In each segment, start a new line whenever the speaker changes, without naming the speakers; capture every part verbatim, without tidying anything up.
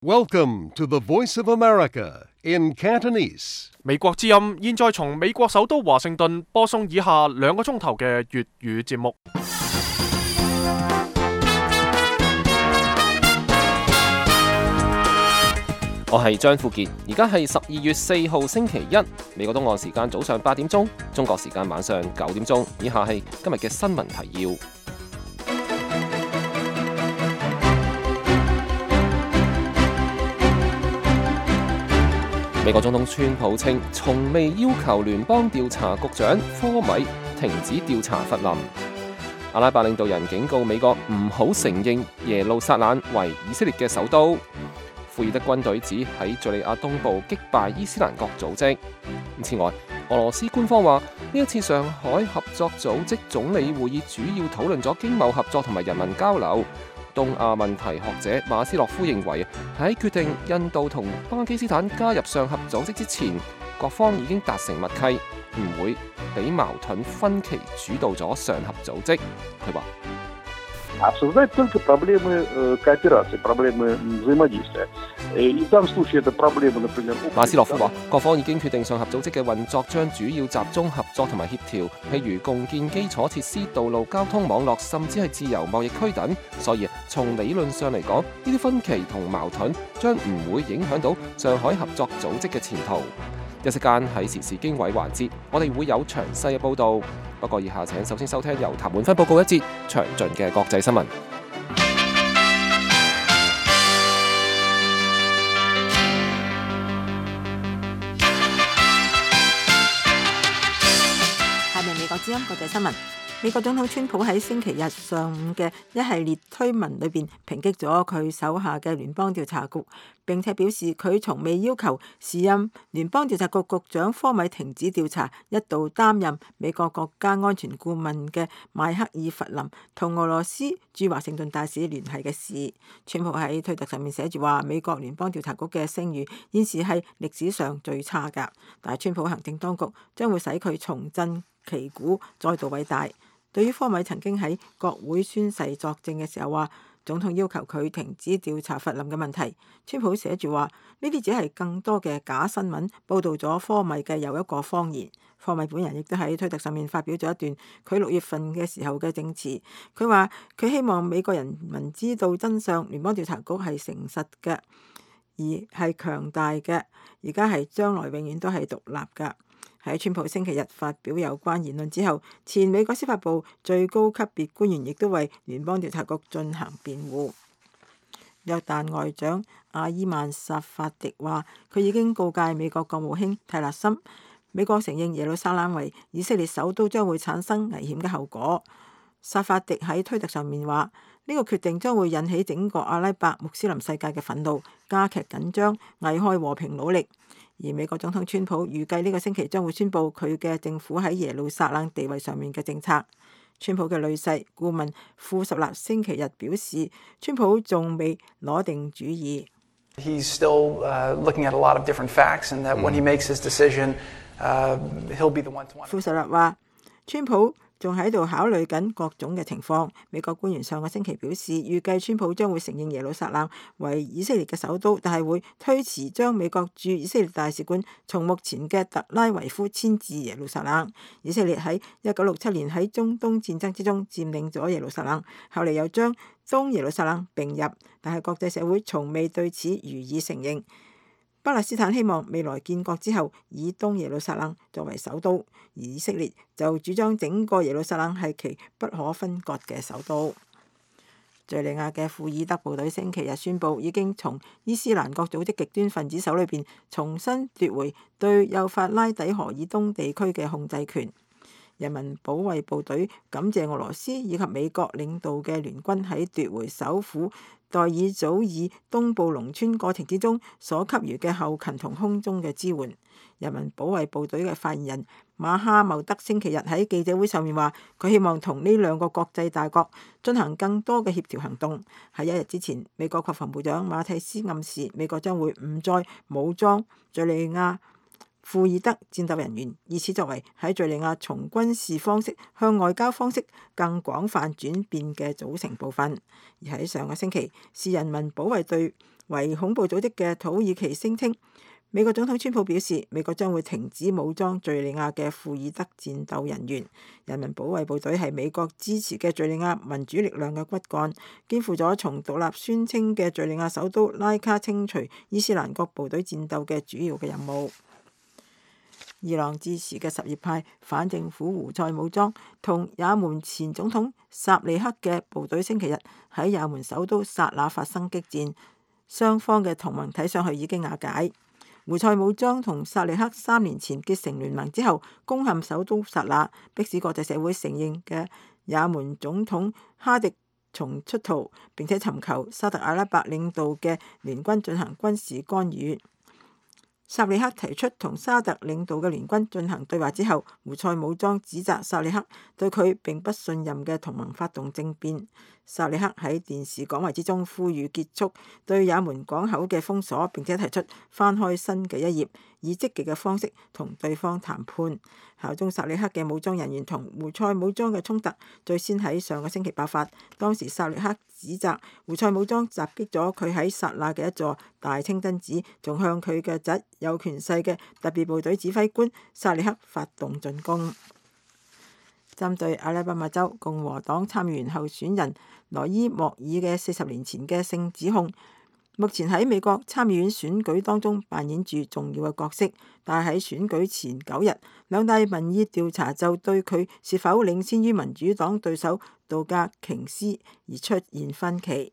Welcome to the Voice of America in Cantonese.
美國之音現在從美國首都華盛頓播送以下兩個鐘頭嘅粵語節目。
我係張富傑，而家係十二月四號星期一，美國東岸時間早上八點鐘，中國時間晚上九點鐘。以下係今日嘅新聞提要。美國總統川普稱，從未要求聯邦調查局長科米停止調查弗林。阿拉伯領導人警告美國唔好承認耶路撒冷為以色列嘅首都。庫爾德軍隊指喺敘利亞東部擊敗伊斯蘭國組織。此外，俄羅斯官方話呢一次上海合作組織總理會議主要討論咗經貿合作同埋人民交流。東亞問題學者馬斯洛夫認為，喺決定印度同巴基斯坦加入上合組織之前，各方已經達成默契，唔會俾矛盾分歧主導咗上合組織。佢話
обсуждать только проблемы кооперации, проблемы взаимодействия. И в данном случае это проблемы, например...
馬斯洛夫話，各方已經決定上合組織嘅運作將主要集中合作同埋協調，譬如共建基礎設施、道路交通網絡，甚至係自由貿易區等。所以從理論上嚟講，呢啲分歧同矛盾將唔會影響到上海合作組織嘅前途。一時間喺時事經緯環節，我哋會有詳細嘅報導。不過以下請首先收聽由譚滿芬報告一節詳盡嘅國際新聞。
下面美國之音國際新聞。美國總統川普喺星期日上午嘅一系列推文裏邊抨擊咗佢手下嘅聯邦調查局，並且表示佢從未要求時任聯邦調查局局長科米停止調查一度擔任美國國家安全顧問嘅邁克爾弗林同俄羅斯駐華盛頓大使聯繫嘅事。川普喺推特上面寫住話，美國聯邦調查局嘅聲譽現時係歷史上最差㗎，但係川普行政當局將會使佢重振旗鼓，再度偉大。對於科米曾經喺國會宣誓作證嘅時候話，總統要求佢停止調查弗林嘅問題，川普寫住話呢啲只係更多嘅假新聞，報導咗科米嘅又一個謊言。科米本人亦都喺推特上面發表咗一段佢六月份嘅時候嘅證詞，佢話佢希望美國人民知道真相，聯邦調查局係誠實嘅，而係強大嘅，而家係將來永遠都係獨立㗎。喺川普星期日發表有關言論之後，前美國司法部最高級別官員亦都為聯邦調查局進行辯護。約旦外長阿伊曼薩法迪話，佢已經告誡美國國務卿泰勒森，美國承認耶路撒冷為以色列首都將會產生危險嘅後果。薩法迪喺推特上面話，呢個決定將會引起整個阿拉伯穆斯林世界嘅憤怒，加劇緊張，危害和平努力。而美國總統川普預計呢個星期將會宣布佢嘅政府喺耶路撒冷地位上面嘅政策。川普嘅女婿顧問庫什納星期日表示，川普仲未攞定主意。
He's still uh, looking at a lot of different facts, and that when he makes his decision, uh, he'll be the one to want.
庫什納話，川普仲喺度考慮緊各種嘅情況。美國官員上個星期表示，預計川普將會承認耶路撒冷為以色列嘅首都，但係會推遲將美國駐以色列大使館從目前嘅特拉維夫遷至耶路撒冷。以色列喺一九六七年喺中東戰爭之中佔領咗耶路撒冷，後嚟又將東耶路撒冷並入，但係國際社會從未對此予以承認。巴勒斯坦希望未來建國之後以東耶路撒冷作為首都，而以色列就主張整個耶路撒冷係其不可分割嘅首都。敘利亞嘅庫爾德部隊星期日宣布，已經從伊斯蘭國組織極端分子手裏邊重新奪回對幼發拉底河以東地區嘅控制權。人民保衛部隊感謝俄羅斯以及美國領導嘅聯軍喺奪回首府代爾祖爾東部農村過程之中所給予嘅後勤同空中嘅支援。人民保衛部隊嘅發言人馬哈茂德星期日喺記者會上面話，佢希望同呢兩個國際大國進行更多嘅協調行動。喺一日之前，美國國防部長馬蒂斯暗示美國將會唔再武裝敘利亞庫爾德戰鬥人員，以此作為喺敘利亞從軍事方式向外交方式更廣泛轉變嘅組成部分。而喺上個星期，是人民保衛隊為恐怖組織嘅土耳其聲稱，美國總統川普表示，美國將會停止武裝敘利亞嘅庫爾德戰鬥人員。人民保衛部隊係美國支持嘅敘利亞民主力量嘅骨幹，肩負咗從獨立宣稱嘅敘利亞首都拉卡清除伊斯蘭國部隊戰鬥嘅主要嘅任務。伊朗支持嘅什葉派反政府胡塞武裝同也門前總統薩利克嘅部隊星期日喺也門首都薩那發生激戰，雙方嘅同盟睇上去已經瓦解。胡塞武裝同薩利克三年前結成聯盟之後，攻陷首都薩那，迫使國際社會承認嘅也門總統哈迪松出逃，並且尋求沙特阿拉伯領導嘅聯軍進行軍事干預。薩利克提出同沙特領導嘅聯軍進行對話之後，胡塞武裝指責薩利克對佢並不信任嘅同盟發動政變。薩利克喺電視講話之中呼籲結束對也門港口嘅封鎖，並且提出翻開新嘅一頁，以積極嘅方式同對方談判。效忠薩利克嘅武裝人員同胡塞武裝嘅衝突最先喺上個星期爆發，當時薩利克指責胡塞武裝襲擊咗佢喺薩那嘅一座大清真寺，仲向佢嘅侄有權勢嘅特別部隊指揮官薩利克發動進攻。針對阿拉巴馬州共和黨參議員候選人羅伊莫爾嘅四十年前嘅性指控，目前喺美國參議院選舉當中扮演住重要嘅角色，但係喺選舉前九日，兩大民意調查就對佢是否領先於民主黨對手杜格瓊斯而出現分歧。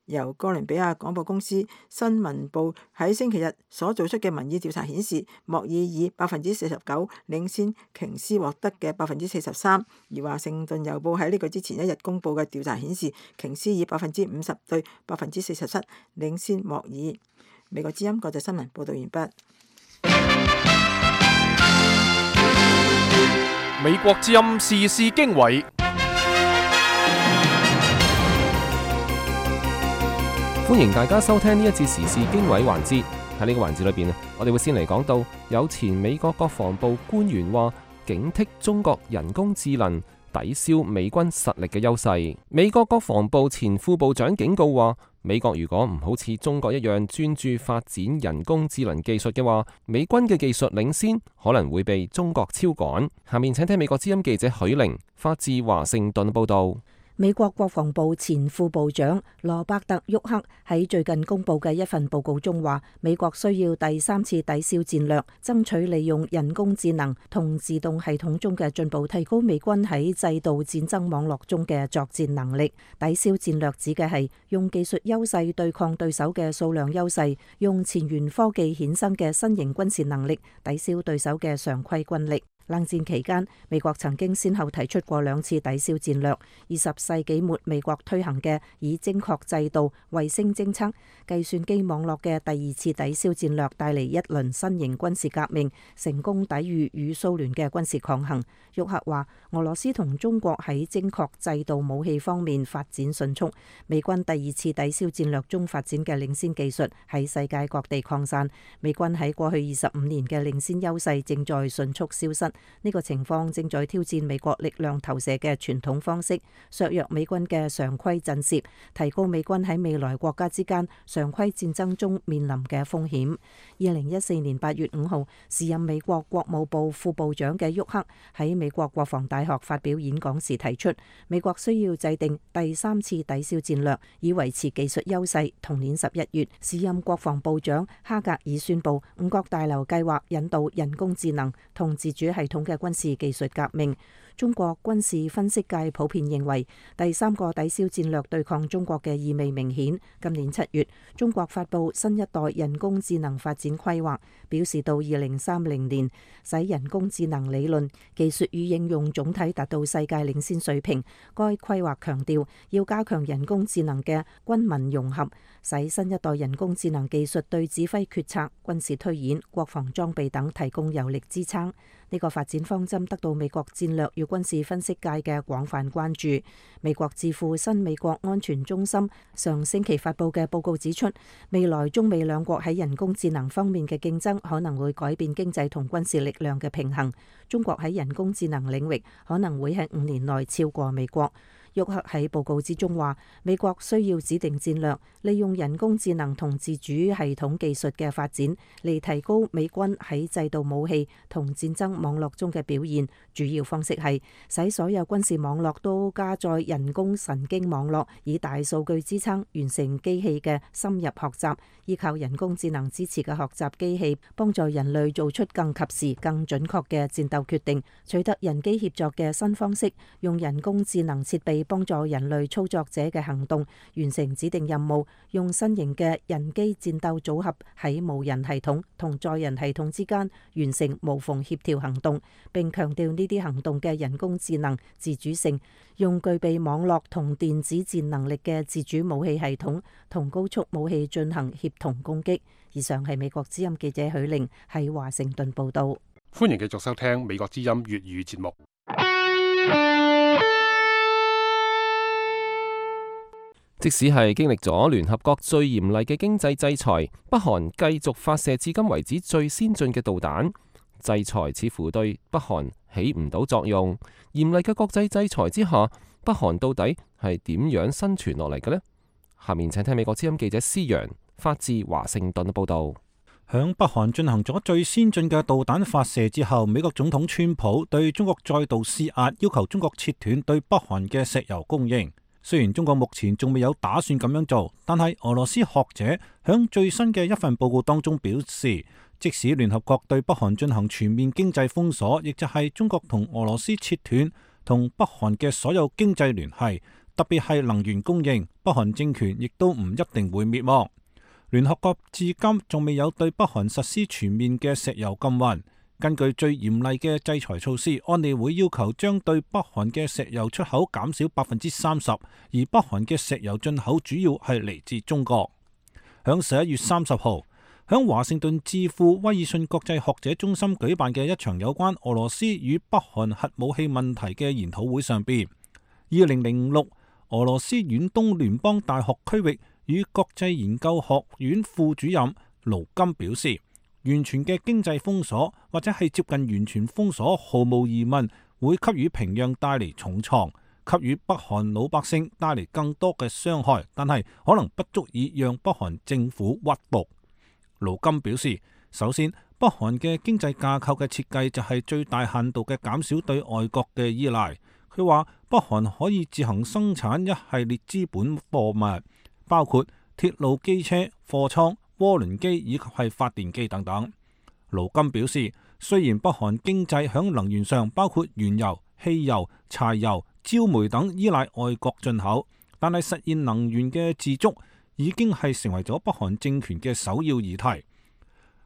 由哥倫比亞廣播公司新聞部喺星期日所做出嘅民意調查顯示，莫爾以百分之四十九領先瓊斯獲得嘅百分之四十三，而華盛頓郵報喺呢個之前一日公佈嘅調查顯示，瓊斯以百分之五十對百分之四十七領先莫爾。美國之音國際新聞報道完畢。
美國之音時事經緯。
歡迎大家收聽呢一節時事經緯環節。喺呢個環節裏邊，我哋會先嚟講到有前美國國防部官員話警惕中國人工智能抵消美軍實力嘅優勢。美國國防部前副部長警告話，美國如果唔好似中國一樣專注發展人工智能技術嘅話，美軍嘅技術領先可能會被中國超趕。下面請聽美國之音記者許玲發自華盛頓報道。
美國國防部前副部長羅伯特·沃克喺最近公布嘅一份報告中話，美國需要第三次抵消戰略，爭取利用人工智能同自動系統中嘅進步，提高美軍喺制度戰爭網絡中嘅作戰能力。抵消戰略指嘅係用技術優勢對抗對手嘅數量優勢，用前沿科技衍生嘅新型軍事能力抵消對手嘅常規軍力。冷戰期間，美國曾經先後提出過兩次抵消戰略。二十世紀末，美國推行嘅以精確制導、衛星偵測、計算機網絡嘅第二次抵消戰略，帶嚟一輪新型軍事革命，成功抵禦與蘇聯嘅軍事抗衡。沃克話，俄羅斯同中國喺精確制導武器方面發展迅速，美軍第二次抵消戰略中發展嘅領先技術喺世界各地擴散，美軍喺過去二十五年嘅領先優勢正在迅速消失。呢個情況正在挑戰美國力量投射嘅傳統方式，削弱美軍嘅常規震懾，提高美軍喺未來國家之間常規戰爭中面臨嘅風險。二零一四年八月五號，時任美國國務部副部長嘅沃克喺美國國防大學發表演講時提出，美國需要制定第三次抵消戰略，以維持技術優勢。同年十一月，時任國防部長哈格爾宣布，五角大樓計劃引導人工智能同自主系系統嘅軍事技術革命。中國軍事分析界普遍認為，第三個抵消戰略對抗中國嘅意味明顯。今年七月，中國發布新一代人工智能發展規劃，表示到二零三零年，使人工智能理論、技術與應用總體達到世界領先水平。該規劃強調，要加強人工智能嘅軍民融合，使新一代人工智能技術對指揮決策、軍事推演、國防裝備等提供有力支撐。呢個發展方針得到美國戰略與軍事分析界嘅廣泛關注。美國智庫新美國安全中心上星期發布嘅報告指出，未來中美兩國喺人工智能方面嘅競爭可能會改變經濟同軍事力量嘅平衡。中國喺人工智能領域可能會喺五年內超過美國。沃克喺報告之中話，美國需要指定戰略，利用人工智能同自主系統技術嘅發展嚟提高美軍喺制導武器同戰爭網絡中嘅表現。主要方式係使所有軍事網絡都加載人工神經網絡，以大數據支撐，完成機器嘅深入學習。依靠人工智能支持嘅學習機器，幫助人類做出更及時、更準確嘅戰鬥決定，取得人機協作嘅新方式，用人工智能設備幫助人類操作者嘅行動，完成指定任務，用新型嘅人機戰鬥組合喺無人系統同載人系統之間完成無縫協調行動，並強調呢啲行動嘅人工智能自主性，用具備網絡同電子戰能力嘅自主武器系統同高速武器進行協同攻擊。以上係美國之音記者許玲喺華盛頓報道。
歡迎繼續收聽美國之音粵語節目。
即使係經歷咗聯合國最嚴厲嘅經濟制裁，北韓繼續發射至今為止最先進嘅導彈。制裁似乎對北韓起唔到作用。嚴厲嘅國際制裁之下，北韓到底係點樣生存落嚟嘅呢？下面請聽美國之音記者施陽發自華盛頓嘅報道。
響北韓進行咗最先進嘅導彈發射之後，美國總統川普對中國再度施壓，要求中國切斷對北韓嘅石油供應。雖然中國目前仲未有打算咁樣做，但係俄羅斯學者響最新嘅一份報告當中表示，即使聯合國對北韓進行全面經濟封鎖，亦就係中國同俄羅斯切斷同北韓嘅所有經濟聯繫，特別係能源供應，北韓政權亦都唔一定會滅亡。聯合國至今仲未有對北韓實施全面嘅石油禁運。根據最嚴厲嘅制裁措施，安理會要求將對北韓嘅石油出口減少百分之三十，而北韓嘅石油進口主要係嚟自中國。響十一月三十號，響華盛頓智庫威爾遜國際學者中心舉辦嘅一場有關俄羅斯與北韓核武器問題嘅研討會上邊，二零零六俄羅斯遠東聯邦大學區域與國際研究學院副主任盧金表示，完全嘅經濟封鎖或者係接近完全封鎖，毫無疑問會給予平壤帶嚟重創，給予北韓老百姓帶嚟更多嘅傷害，但係可能不足以讓北韓政府屈服。盧金表示，首先北韓嘅經濟架構嘅設計就係最大限度嘅減少對外國嘅依賴。佢話北韓可以自行生產一系列資本貨物，包括鐵路、機車、貨倉、渦輪機以及係發電機等等。盧金表示，雖然北韓經濟響能源上包括原油、汽油、柴油、焦煤等依賴外國進口，但係實現能源嘅自足已經係成為咗北韓政權嘅首要議題。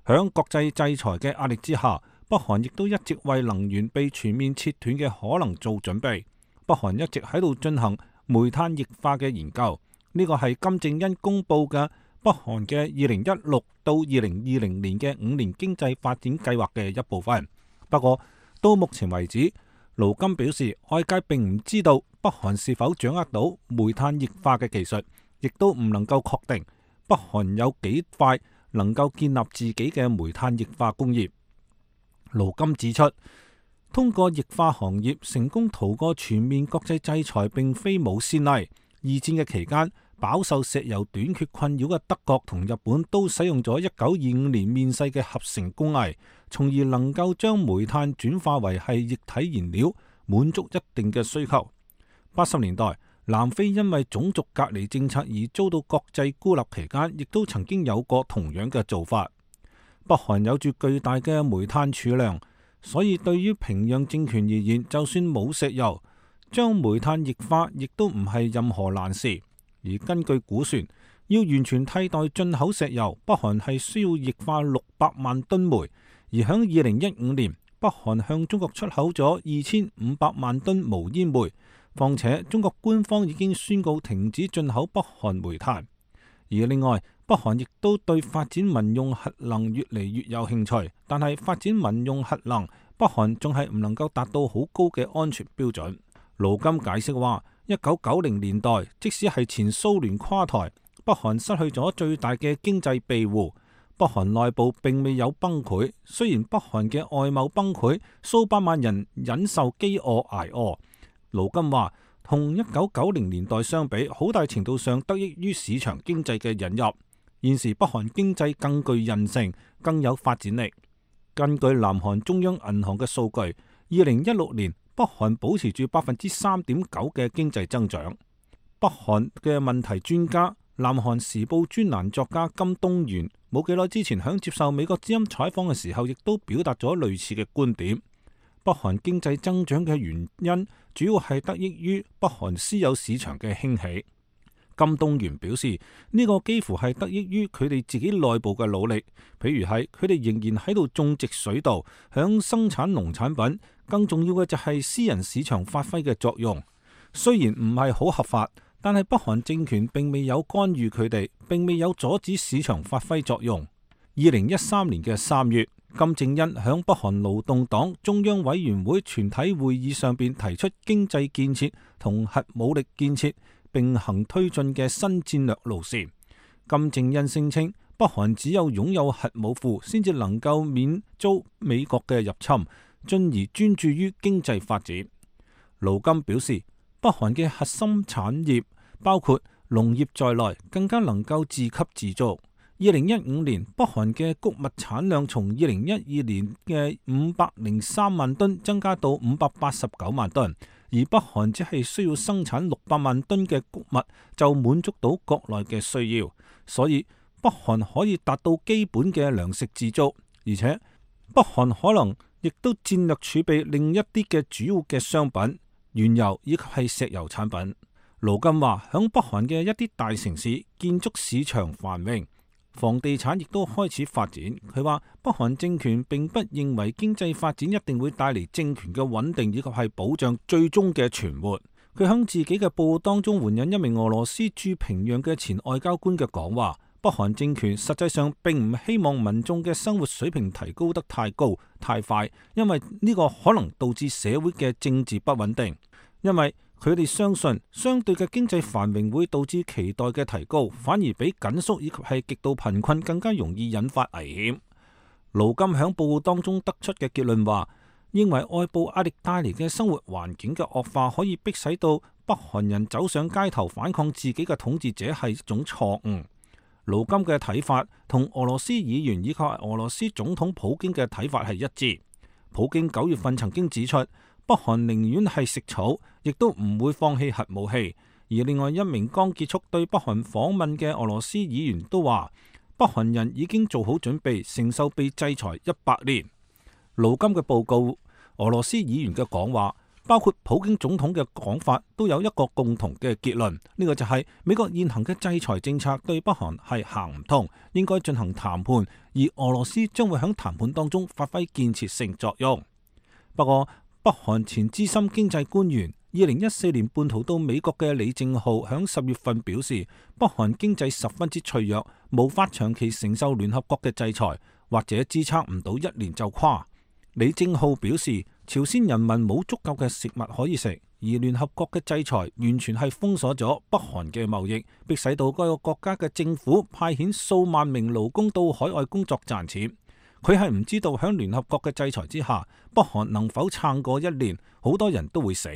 響國際制裁嘅壓力之下，北韓亦都一直為能源被全面切斷嘅可能做準備。北韓一直喺度進行煤炭液化嘅研究，呢個係金正恩公布嘅北韓嘅二零一六到二零二零年嘅五年經濟發展計劃嘅一部分。不過到目前為止，盧金表示，外界並唔知道北韓是否掌握到煤炭液化嘅技術，亦都唔能夠確定北韓有幾快能夠建立自己嘅煤炭液化工業。盧金指出，通過液化行業成功逃過全面國際制裁並非冇先例。二戰嘅期間，飽受石油短缺困擾嘅德國同日本都使用咗一九二五年面世嘅合成工藝，從而能夠將煤炭轉化為係液體燃料，滿足一定嘅需求。八十年代，南非因為種族隔離政策而遭到國際孤立期間，亦都曾經有過同樣嘅做法。北韓有住巨大嘅煤炭儲量，所以對於平壤政權而言，就算冇石油，將煤炭液化亦都唔係任何難事。而根據估算，要完全替代進口石油，北韓係需要液化六百萬噸煤。而響二零一五年，北韓向中國出口咗二千五百萬噸無煙煤。況且中國官方已經宣告停止進口北韓煤炭。而另外，北韓亦都對發展民用核能越嚟越有興趣，但係發展民用核能，北韓仲係唔能夠達到好高嘅安全標準。盧金解釋話，一九九零年代，即使係前蘇聯垮台，北韓失去咗最大嘅經濟庇護，北韓內部並未有崩潰。雖然北韓嘅外貿崩潰，數百萬人忍受飢餓挨餓。盧金話，同一九九零年代相比，好大程度上得益於市場經濟嘅引入。現時北韓經濟更具韌性，更有發展力。根據南韓中央銀行嘅數據，二零一六年北韓保持住百分之三點九嘅經濟增長。北韓嘅問題專家、南韓時報專欄作家金東元冇幾耐之前響接受美國之音採訪嘅時候，亦都表達咗類似嘅觀點。北韓經濟增長嘅原因主要係得益於北韓私有市場嘅興起。金東元表示，呢個幾乎係得益於佢哋自己內部嘅努力，譬如係佢哋仍然喺度種植水稻，響生產農產品。更重要嘅就係私人市場發揮嘅作用。雖然唔係好合法，但係北韓政權並未有干預佢哋，並未有阻止市場發揮作用。二零一三年嘅三月，金正恩響北韓勞動黨中央委員會全體會議上邊提出經濟建設同核武力建設並行推進嘅新戰略路線。金正恩聲稱，北韓只有擁有核武庫，先至能夠免遭美國嘅入侵，進而專注於經濟發展。盧金表示，北韓嘅核心產業包括農業在內，更加能夠自給自足。二零一五年，北韓嘅穀物產量從二零一二年嘅五百零三萬噸增加到五百八十九萬噸，而北韓只係需要生產六百萬噸嘅穀物就滿足到國內嘅需要，所以北韓可以達到基本嘅糧食自足，而且北韓可能亦都戰略儲備另一啲嘅主要嘅商品，原油以及係石油產品。盧金話，響北韓嘅一啲大城市，建築市場繁榮，房地產亦都開始發展。佢話北韓政權並不認為經濟發展一定會帶嚟政權嘅穩定以及係保障最終嘅存活。佢響自己嘅報告當中援引一名俄羅斯駐平壤嘅前外交官嘅講話，北韓政權實際上並唔希望民眾嘅生活水平提高得太高太快，因為呢個可能導致社會嘅政治不穩定。因為佢哋相信相對嘅經濟繁榮會導致期待嘅提高，反而比緊縮以及係極度貧困更加容易引發危險。盧金響報告當中得出嘅結論話，認為外部壓力帶嚟嘅生活環境嘅惡化可以迫使到北韓人走上街頭反抗自己嘅統治者係一種錯誤。盧金嘅睇法同俄羅斯議員以及俄羅斯總統普京嘅睇法係一致。普京九月份曾經指出，北韓寧願係食草，亦都唔會放棄核武器。而另外一名剛結束對北韓訪問嘅俄羅斯議員都話，北韓人已經做好準備承受被制裁一百年。盧金嘅報告，俄羅斯議員嘅講話，包括普京總統嘅講法，都有一個共同嘅結論，呢、這個就係美國現行嘅制裁政策對北韓係行唔通，應該進行談判，而俄羅斯將會喺談判當中發揮建設性作用。不過，北韓前資深經濟官員、二零一四年叛逃到美國嘅李正浩響十月份表示，北韓經濟十分之脆弱，無法長期承受聯合國嘅制裁，或者支撐唔到一年就垮。李正浩表示，朝鮮人民冇足夠嘅食物可以食，而聯合國嘅制裁完全係封鎖咗北韓嘅貿易，迫使到該個國家嘅政府派遣數萬名勞工到海外工作賺錢。佢係唔知道響聯合國嘅制裁之下，北韓能否撐過一年，好多人都會死。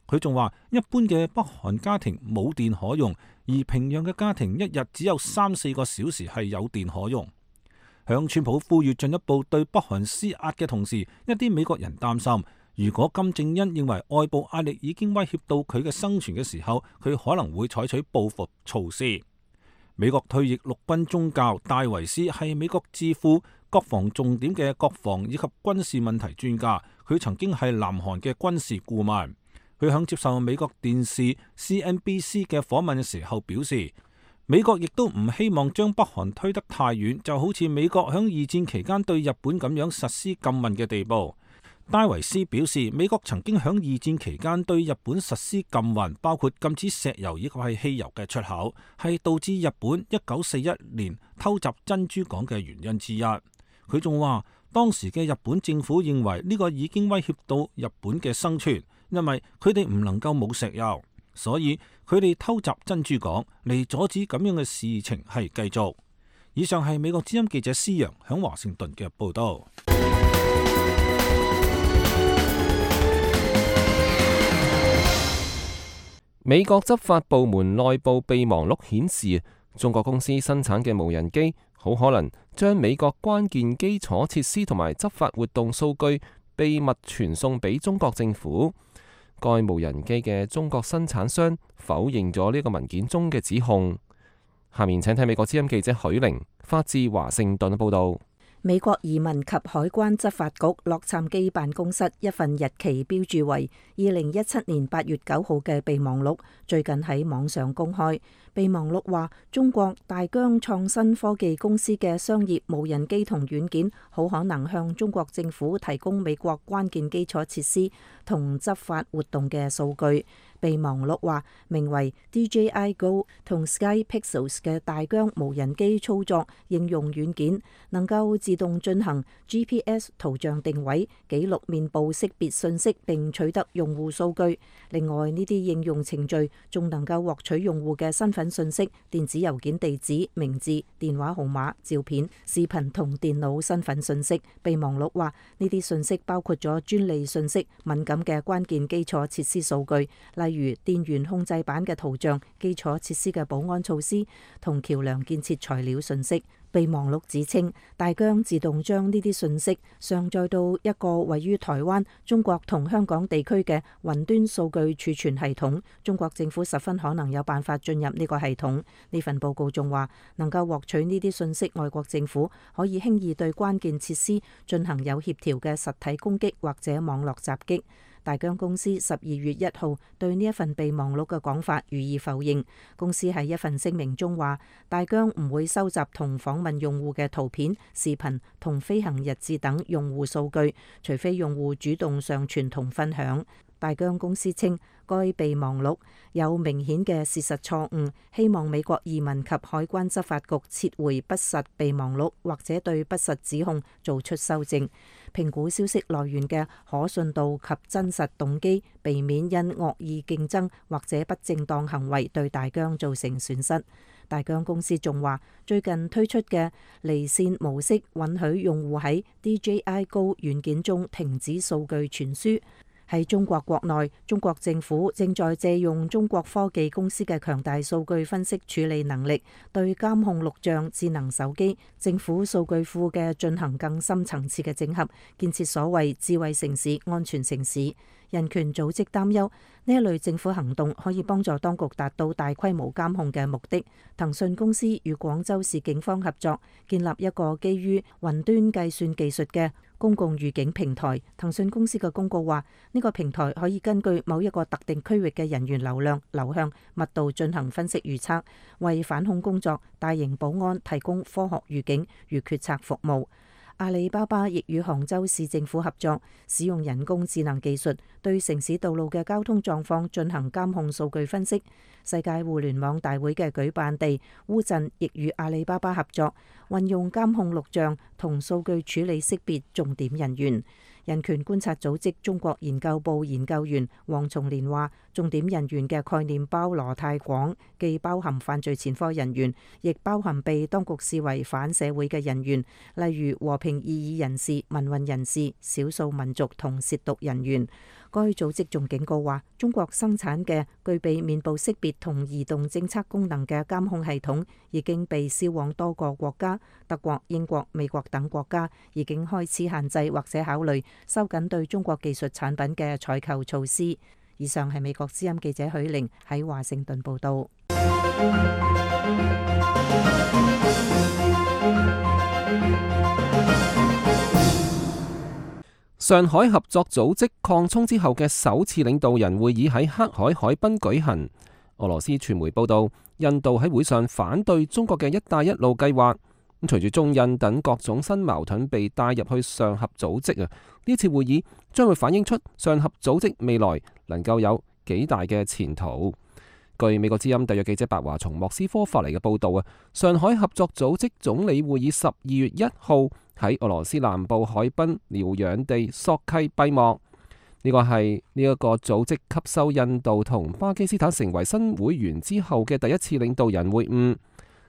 佢仲話，一般嘅北韓家庭冇電可用，而平壤嘅家庭一日只有三四個小時係有電可用。向川普呼籲進一步對北韓施壓嘅同時，一啲美國人擔心，如果金正恩認為外部壓力已經威脅到佢嘅生存嘅時候，佢可能會採取報復措施。美國退役陸軍中校戴維斯係美國智庫國防重點嘅國防以及軍事問題專家，佢曾經係南韓嘅軍事顧問。佢響接受美國電視 C N B C 嘅訪問嘅時候表示，美國亦都唔希望將北韓推得太遠，就好似美國響二戰期間對日本咁樣實施禁運嘅地步。戴維斯表示，美國曾經響二戰期間對日本實施禁運，包括禁止石油以及係汽油嘅出口，係導致日本一九四一年偷襲珍珠港嘅原因之一。佢仲話，當時嘅日本政府認為呢個已經威脅到日本嘅生存，因為佢哋唔能夠冇石油，所以佢哋偷襲珍珠港嚟阻止咁樣嘅事情係繼續。以上係美國之音記者施陽響華盛頓嘅報道。
美國執法部門內部備忘錄顯示，中國公司生產嘅無人機好可能將美國關鍵基礎設施同埋執法活動數據秘密傳送俾中國政府。該無人機嘅中國生產商否認咗呢個文件中嘅指控。下面請睇美國之音記者許玲發自華盛頓報道。
美國移民及海關執法局洛杉磯辦公室一份日期標註為二零一七年八月九號嘅備忘錄，最近喺網上公開。備忘錄話，中國大疆創新科技公司嘅商業無人機同軟件，好可能向中國政府提供美國關鍵基礎設施同執法活動嘅數據。備忘錄話，名為 D J I Go 同 Sky Pixels 嘅大疆無人機操作應用軟件，能夠自動進行 G P S 圖像定位、記錄面部識別信息並取得用戶數據。另外，呢啲應用程序仲能夠獲取用戶嘅身份信息、電子郵件地址、名字、電話號碼、照片、視頻同電腦身份信息。備忘錄話，呢啲信息包括咗專利信息、敏感嘅關鍵基礎設施數據，例如電源控制板嘅圖像、基礎設施嘅保安措施同橋樑建設材料信息。備忘錄指稱，大疆自動將呢啲信息上載到一個位於台灣、中國同香港地區嘅雲端數據儲存系統，中國政府十分可能有辦法進入呢個系統。呢份報告仲話，能夠獲取呢啲信息，外國政府可以輕易對關鍵設施進行有協調嘅實體攻擊或者網絡襲擊。大疆公司十二月一號對呢一份備忘錄嘅講法予以否認。公司喺一份聲明中話，大疆唔會收集同訪問用戶嘅圖片、視頻同飛行日誌等用戶數據，除非用戶主動上傳同分享。大疆公司稱，該備忘錄有明顯嘅事實錯誤，希望美國移民及海關執法局撤回不實備忘錄，或者對不實指控做出修正，評估消息來源嘅可信度及真實動機，避免因惡意競爭或者不正當行為對大疆造成損失。大疆公司仲話，最近推出嘅離線模式允許用戶喺 D J I Go 軟件中停止數據傳輸。喺中國國內，中國政府正在借用中國科技公司嘅強大數據分析處理能力，對監控錄像、智能手機、政府數據庫嘅進行更深層次嘅整合，建設所謂智慧城市、安全城市。人權組織擔憂呢一類政府行動可以幫助當局達到大規模監控嘅目的。騰訊公司與廣州市警方合作，建立一個基於雲端計算技術嘅公共預警平台。騰訊公司嘅公告話，呢個平台可以根據某一個特定區域嘅人員流量、流向、密度進行分析預測，為反恐工作、大型保安提供科學預警與決策服務。阿里巴巴亦與杭州市政府合作，使用人工智能技術對城市道路嘅交通狀況進行監控數據分析。世界互聯網大會嘅舉辦地烏鎮亦與阿里巴巴合作，運用監控錄像同數據處理識別重點人員。人權觀察組織中國研究部研究員黃松年話，重點人員嘅概念包羅太廣，既包含犯罪前科人員，亦包含被當局視為反社會嘅人員，例如和平異議人士、民運人士、少數民族同褻瀆人員。該組織仲警告話，中國生產嘅具備面部識別同移動偵測功能嘅監控系統已經被銷往多個國家，德國、英國、美國等國家已經開始限制或者考慮收緊對中國技術產品嘅採購措施。以上係美國之音記者許玲喺華盛頓報道。
上海合作組織擴充之後嘅首次領導人會議喺黑海海濱舉行。俄羅斯傳媒報道，印度喺會上反對中國嘅一帶一路計劃。咁隨住中印等各種新矛盾被帶入去上合組織啊，呢次會議將會反映出上合組織未來能夠有幾大嘅前途。據美國之音特約記者白華從莫斯科發嚟嘅報道啊，上海合作組織總理會議十二月一號喺俄羅斯南部海濱療養地索契閉幕。呢個係呢一個組織吸收印度同巴基斯坦成為新會員之後嘅第一次領導人會晤。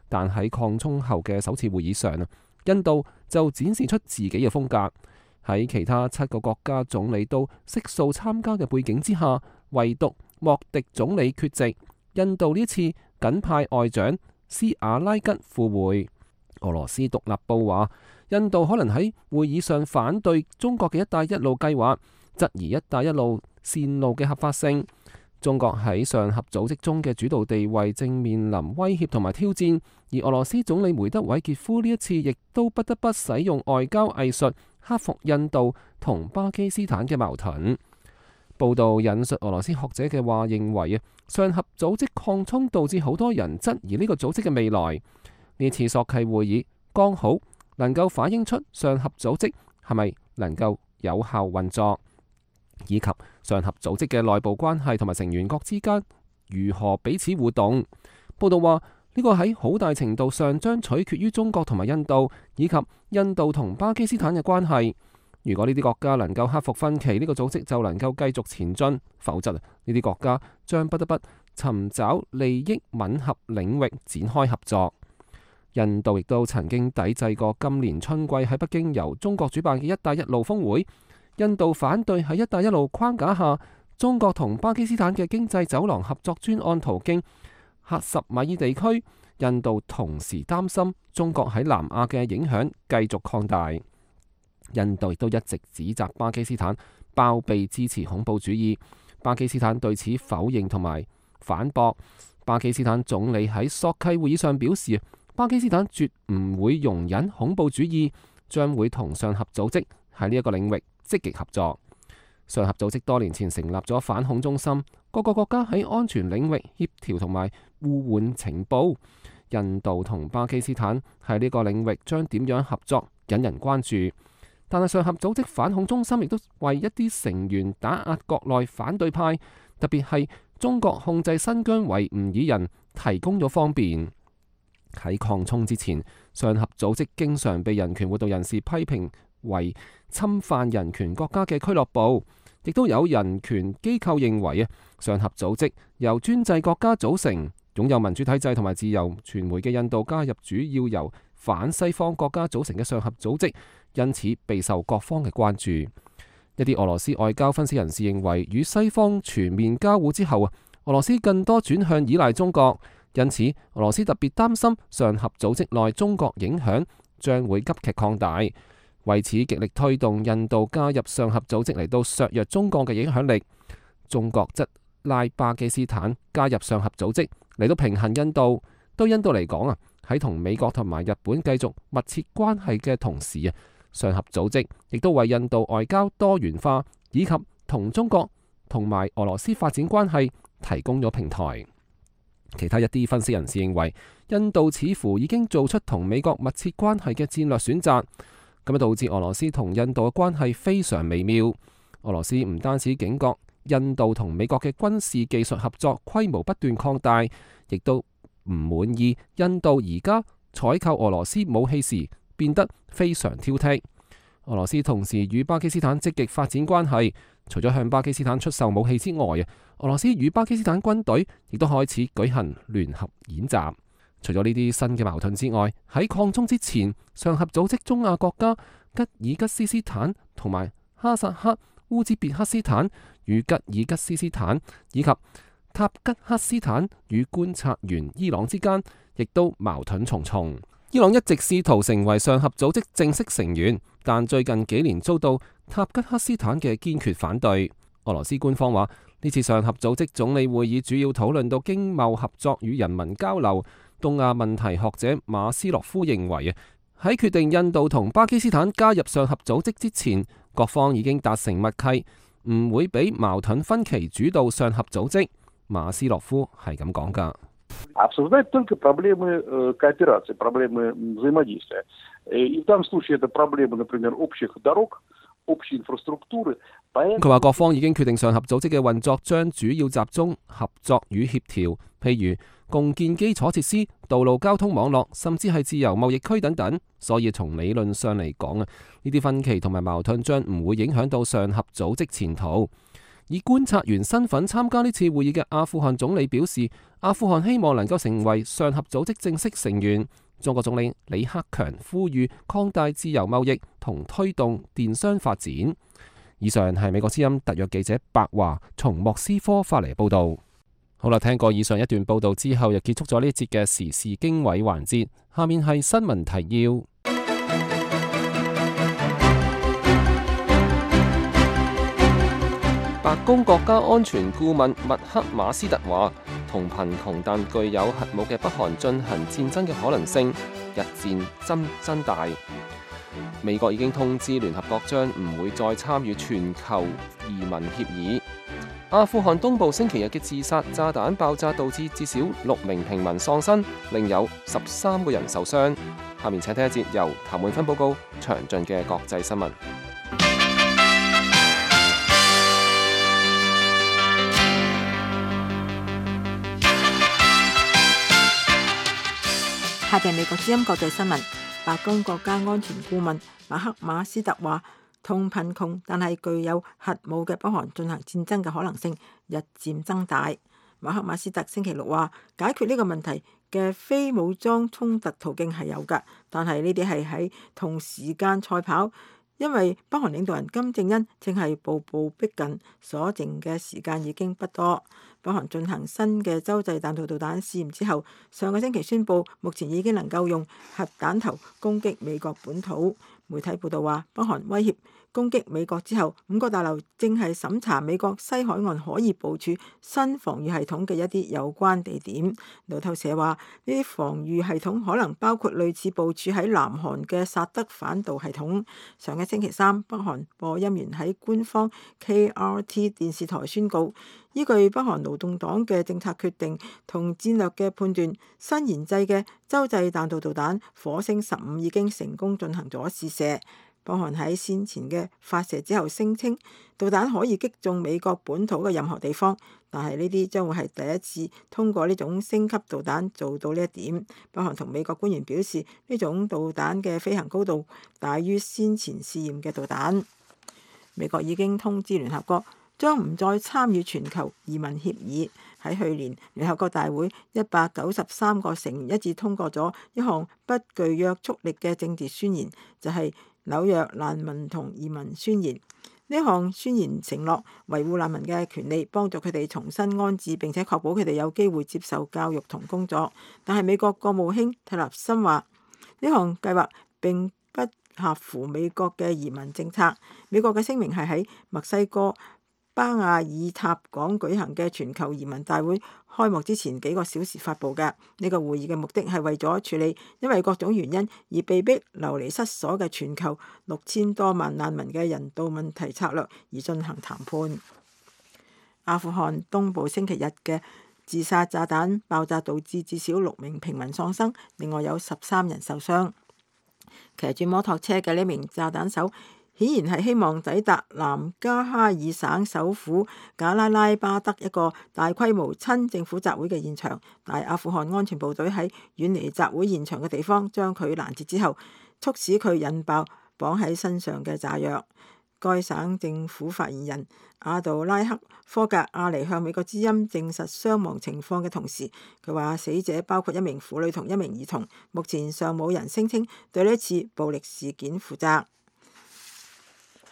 但喺擴充後嘅首次會議上啊，印度就展示出自己嘅風格。喺其他七個國家總理都悉數參加嘅背景之下，唯獨莫迪總理缺席，印度呢次僅派外長斯瓦拉吉赴會。俄羅斯獨立報話，印度可能喺會議上反對中國嘅一帶一路計劃，質疑一帶一路線路嘅合法性。中國喺上合組織中嘅主導地位正面臨威脅同埋挑戰，而俄羅斯總理梅德韋傑夫呢一次亦都不得不使用外交藝術克服印度同巴基斯坦嘅矛盾。報道引述俄羅斯學者嘅話，認為啊，上合組織擴充導致好多人質疑呢個組織嘅未來。呢次索契會議剛好能夠反映出上合組織係咪能夠有效運作，以及上合組織嘅內部關係同埋成員國之間如何彼此互動。報道話呢個喺好大程度上將取決於中國同埋印度，以及印度同巴基斯坦嘅關係。如果呢啲國家能夠克服分歧，呢個組織就能夠繼續前進；否則呢啲國家將不得不尋找利益吻合領域展開合作。印度亦都曾經抵制過今年春季喺北京由中國主辦嘅一帶一路峰會。印度反對喺一帶一路框架下，中國同巴基斯坦嘅經濟走廊合作專案途徑喀什米爾地區。印度同時擔心中國喺南亞嘅影響繼續擴大。印度亦都一直指責巴基斯坦包庇支持恐怖主義。巴基斯坦對此否認同埋反駁。巴基斯坦總理喺索契會議上表示，巴基斯坦絕唔會容忍恐怖主義，將會同上合組織喺呢一個領域積極合作。上合組織多年前成立咗反恐中心，各個國家喺安全領域協調同埋互換情報。印度同巴基斯坦喺呢個領域將點樣合作引人關注。但係上合組織反恐中心亦都為一啲成員打壓國內反對派，特別係中國控制新疆維吾爾人提供咗方便。喺擴充之前，上合組織經常被人權活動人士批評為侵犯人權國家嘅俱樂部，亦都有人權機構認為啊，上合組織由專制國家組成，擁有民主體制同埋自由傳媒嘅印度加入主要由反西方國家組成嘅上合組織，因此備受各方嘅關注。一啲俄羅斯外交分析人士認為，與西方全面交互之後啊，俄羅斯更多轉向依賴中國，因此俄羅斯特別擔心上合組織內中國影響將會急劇擴大，為此極力推動印度加入上合組織嚟到削弱中國嘅影響力。中國則拉巴基斯坦加入上合組織嚟到平衡印度。對印度嚟講啊，喺同美國同埋日本繼續密切關係嘅同時啊，上合組織亦都為印度外交多元化以及同中國同埋俄羅斯發展關係提供咗平台。其他一啲分析人士認為，印度似乎已經做出同美國密切關係嘅戰略選擇，咁啊導致俄羅斯同印度嘅關係非常微妙。俄羅斯唔單止警覺印度同美國嘅軍事技術合作規模不斷擴大，亦都唔滿意印度而家採購俄羅斯武器時變得非常挑剔。俄羅斯同時與巴基斯坦積極發展關係，除咗向巴基斯坦出售武器之外啊，俄羅斯與巴基斯坦軍隊亦都開始舉行聯合演習。除咗呢啲新嘅矛盾之外，喺擴充之前，上合組織中亞國家吉爾吉斯斯坦同埋哈薩克、烏茲別克斯坦與吉爾吉斯斯坦以及塔吉克斯坦與觀察員伊朗之間，亦都矛盾重重。伊朗一直試圖成為上合組織正式成員，但最近幾年遭到塔吉克斯坦嘅堅決反對。俄羅斯官方話，呢次上合組織總理會議主要討論到經貿合作與人民交流。東亞問題學者馬斯洛夫認為啊，喺決定印度同巴基斯坦加入上合組織之前，各方已經達成默契，唔會俾矛盾分歧主導上合組織。馬斯洛夫係咁講噶。
Обсуждать только проблемы кооперации, проблемы взаимодействия. И в данном случае это проблемы, например, общих дорог, общей инфраструктуры.
佢話各方已經決定上合組織嘅運作將主要集中合作與協調，譬如共建基礎設施、道路交通網絡，甚至係自由貿易區等等。所以從理論上嚟講啊，呢啲分歧同埋矛盾將唔會影響到上合組織前途。以觀察員身份參加呢次會議嘅阿富汗總理表示，阿富汗希望能夠成為上合組織正式成員。中國總理李克強呼籲擴大自由貿易同推動電商發展。以上係美國之音特約記者白華從莫斯科發嚟報道。好啦，聽過以上一段報道之後，又結束咗呢節嘅時事經緯環節。下面係新聞提要。白宮國家安全顧問麥克馬斯特話，同貧窮但具有核武嘅北韓進行戰爭嘅可能性日漸增增大。美國已經通知聯合國將唔會再參與全球移民協議。阿富汗東部星期日嘅自殺炸彈爆炸導致至少六名平民喪生，另有十三個人受傷。下面請聽一節由譚滿芬報告詳盡嘅國際新聞。
下邊美國之音國際新聞，白宮國家安全顧問馬克馬斯特話，同貧窮但係具有核武嘅北韓進行戰爭嘅可能性日漸增大。馬克馬斯特星期六話，解決呢個問題嘅非武裝衝突途徑係有㗎，但係呢啲係喺同時間賽跑，因為北韓領導人金正恩正係步步逼近，所剩嘅時間已經不多。北韓進行新嘅洲際彈道導彈試驗之後，上個星期宣布目前已經能夠用核彈頭攻擊美國本土。媒體報道話，北韓威脅攻擊美國之後，五角大樓正係審查美國西海岸可以部署新防禦系統嘅一啲有關地點。路透社話，呢啲防禦系統可能包括類似部署喺南韓嘅薩德反導系統。上個星期三，北韓播音員喺官方 K R T 電視台宣告，依據北韓勞動黨嘅政策決定同戰略嘅判斷，新研製嘅洲際彈道導彈火星十五已經成功進行咗試射。北韓喺先前嘅發射之後聲稱，導彈可以擊中美國本土嘅任何地方，但係呢啲將會係第一次通過呢種升級導彈做到呢一點。北韓同美國官員表示，呢種導彈嘅飛行高度大於先前試驗嘅導彈。美國已經通知聯合國，將唔再參與全球移民協議。喺去年聯合國大會，一百九十三個成員一致通過咗一項不具約束力嘅政治宣言，就係紐約難民同移民宣言。呢項宣言承諾維護難民嘅權利，幫助佢哋重新安置，並且確保佢哋有機會接受教育同工作。但係美國國務卿蒂勒森話，呢項計劃並不合乎美國嘅移民政策。美國嘅聲明係喺墨西哥巴亞爾塔港舉行嘅全球移民大會開幕之前幾個小時發佈嘅。呢個會議嘅目的係為咗處理因為各種原因而被逼流離失所嘅全球六千多萬難民嘅人道問題策略而進行談判。阿富汗東部星期日嘅自殺炸彈爆炸導致至少六名平民喪生，另外有十三人受傷。騎住摩托車嘅呢名炸彈手顯然係希望抵達南加哈爾省首府賈拉拉巴德一個大規模親政府集會嘅現場，但阿富汗安全部隊喺遠離集會現場嘅地方將佢攔截之後，促使佢引爆綁喺身上嘅炸藥。該省政府發言人阿杜拉克科格阿尼向美國之音證實傷亡情況嘅同時，佢話死者包括一名婦女同一名兒童，目前尚冇人聲稱對呢次暴力事件負責。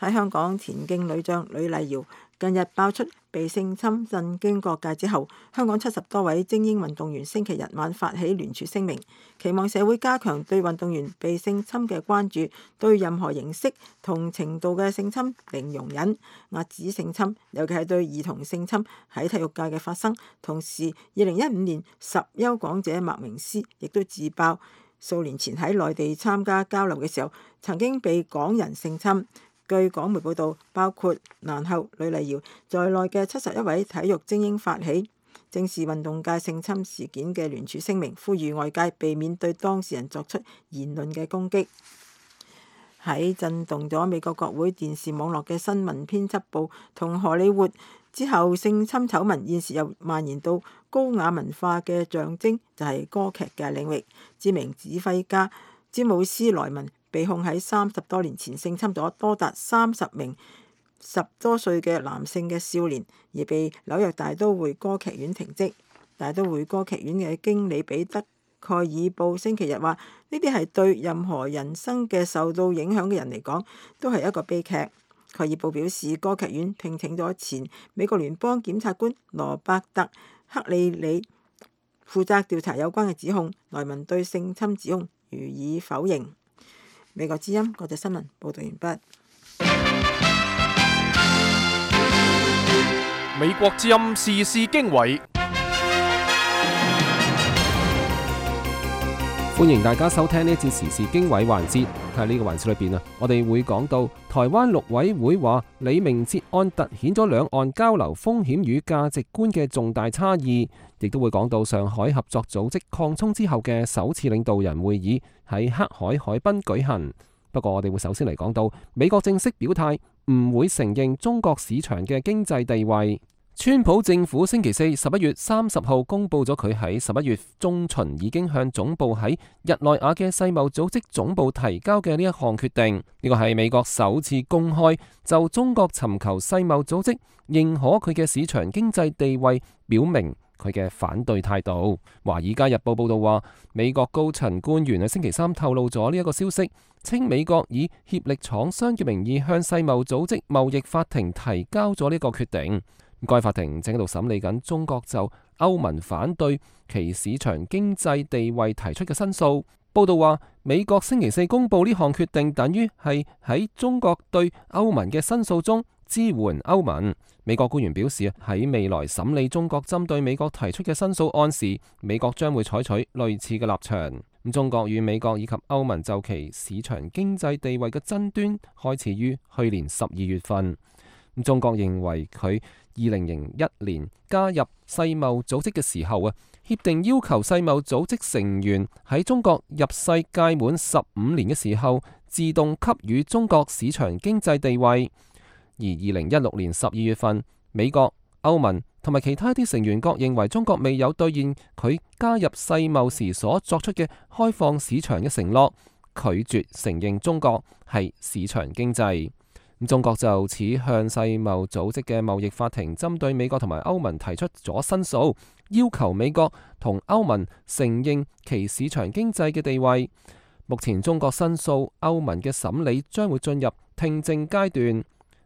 喺香港田徑女將呂麗瑤近日爆出被性侵震驚各界之後，香港七十多位精英運動員星期日晚發起聯署聲明，期望社會加強對運動員被性侵嘅關注，對任何形式同程度嘅性侵零容忍，遏止性侵，尤其係對兒童性侵喺體育界嘅發生。同時，二零一五年十優港姐麥明詩亦都自爆數年前喺內地參加交流嘅時候，曾經被港人性侵。據港媒報導，包括蘭后呂麗瑤在內嘅七十一位體育精英發起正視運動界性侵事件嘅聯署聲明，呼籲外界避免對當事人作出言論嘅攻擊。喺震動咗美國國會電視網絡嘅新聞編輯部同荷里活之後，性侵醜聞現時又蔓延到高雅文化嘅象徵，就係歌劇嘅領域。知名指揮家詹姆斯萊文被控喺三十多年前性侵咗多達三十名十多歲嘅男性嘅少年，而被紐約大都會歌劇院停職。大都會歌劇院嘅經理彼得蓋爾布星期日話：呢啲係對任何人生嘅受到影響嘅人嚟講，都係一個悲劇。蓋爾報表示，歌劇院聘請咗前美國聯邦檢察官羅伯特·克里里負責調查有關嘅指控。萊文對性侵指控予以否認。美國之音國際新聞報道完畢。
美國之音時事經緯，
歡迎大家收聽呢一節時事經緯環節。喺呢個環節裏邊啊，我哋會講到台灣陸委會話李明哲案凸顯咗兩岸交流風險與價值觀嘅重大差異，亦都會講到上海合作組織擴充之後嘅首次領導人會議喺黑海海濱舉行。不過我哋會首先嚟講到美國正式表態唔會承認中國市場嘅經濟地位。川普政府星期四十一月三十號公布咗佢喺十一月中旬已經向總部喺日內瓦嘅世貿組織總部提交嘅呢一項決定。呢個係美國首次公開就中國尋求世貿組織認可佢嘅市場經濟地位表明佢嘅反對態度。華爾街日報報道話，美國高層官員喺星期三透露咗呢一個消息，稱美國以協力廠商嘅名義向世貿組織貿易法庭提交咗呢個決定。該法庭正喺度審理緊中國就歐盟反對其市場經濟地位提出嘅申訴。報道話，美國星期四公布呢項決定，等於係喺中國對歐盟嘅申訴中支援歐盟。美國官員表示，喺未來審理中國針對美國提出嘅申訴案時，美國將會採取類似嘅立場。咁中國與美國以及歐盟就其市場經濟地位嘅爭端開始於去年十二月份。中國認為佢二零零一年加入世貿組織嘅時候啊，協定要求世貿組織成員喺中國入世屆滿十五年嘅時候，自動給予中國市場經濟地位。而二零一六年十二月份，美國、歐盟同埋其他啲成員國認為中國未有兌現佢加入世貿時所作出嘅開放市場嘅承諾，拒絕承認中國係市場經濟。中國就此向世貿組織嘅貿易法庭針對美國同埋歐盟提出咗申訴，要求美國同歐盟承認其市場經濟嘅地位。目前中國申訴歐盟嘅審理將會進入聽證階段。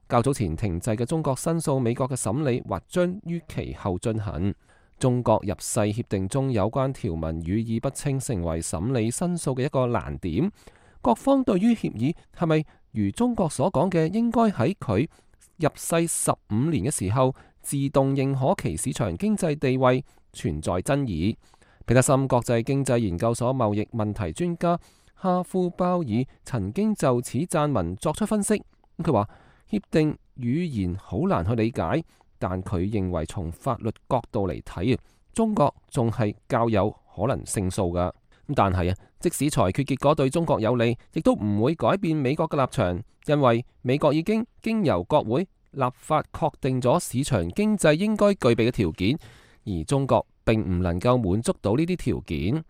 較早前停滯嘅中國申訴美國嘅審理或將於其後進行。中國入世協定中有關條文語意不清，成為審理申訴嘅一個難點。各方對於協議係咪如中國所講嘅，應該喺佢入世十五年嘅時候自動認可其市場經濟地位，存在爭議。彼得森國際經濟研究所貿易問題專家哈夫鮑爾曾經就此撰文作出分析。佢話協定語言好難去理解，但佢認為從法律角度嚟睇，中國仲係較有可能勝訴㗎。但係啊，即使裁決結果對中國有利，亦都唔會改變美國嘅立場，因為美國已經經由國會立法確定咗市場經濟應該具備嘅條件，而中國並唔能夠滿足到呢啲條件。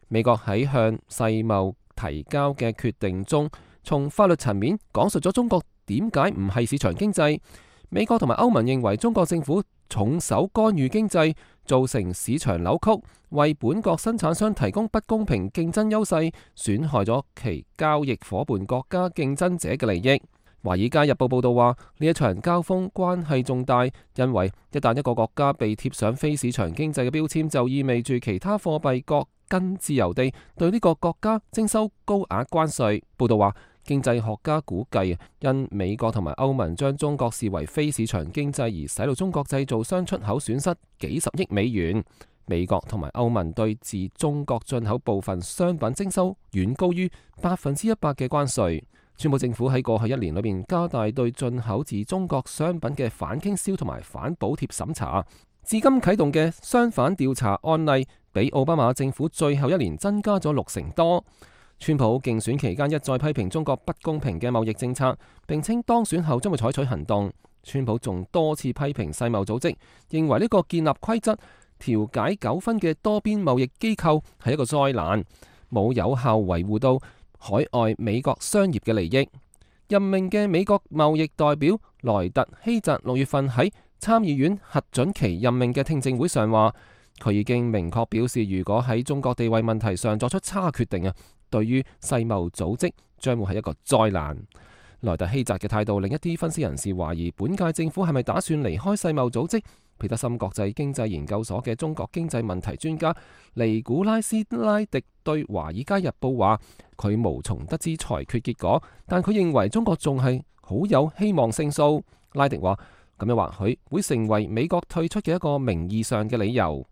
美國喺向世貿提交嘅決定中，從法律層面講述咗中國點解唔係市場經濟。美國同埋歐盟認為中國政府重手干預經濟，造成市場扭曲，為本國生產商提供不公平競爭優勢，損害咗其交易夥伴國家競爭者嘅利益。華爾街日報報道話，呢一場交鋒關係重大，因為一旦一個國家被貼上非市場經濟嘅標籤，就意味住其他貨幣國更自由地對呢個國家徵收高額關稅。報道話，經濟學家估計，因美國同埋歐盟將中國視為非市場經濟，而使到中國製造商出口損失幾十億美元。美國同埋歐盟對自中國進口部分商品徵收遠高於百分之一百嘅關稅。川普政府喺過去一年裏面加大對進口自中國商品嘅反傾銷同埋反補貼審查，至今啟動嘅商販調查案例比奧巴馬政府最後一年增加咗六成多。川普競選期間一再批評中國不公平嘅貿易政策，並稱當選後將會採取行動。川普仲多次批評世貿組織，認為呢個建立規則、調解糾紛嘅多邊貿易機構係一個災難，冇有效維護到海外美國商業嘅利益。任命嘅美國貿易代表萊特希澤六月份喺參議院核准其任命嘅聽證會上話，佢已經明確表示，如果喺中國地位問題上作出差決定啊，對於世貿組織將會係一個災難。萊特希澤嘅態度令一啲分析人士懷疑，本屆政府係咪打算離開世貿組織？彼得森國際經濟研究所嘅中國經濟問題專家尼古拉斯拉迪對《華爾街日報》話：佢無從得知裁決結果，但佢認為中國仲係好有希望勝訴。拉迪話：咁樣或許會成為美國退出嘅一個名義上嘅理由。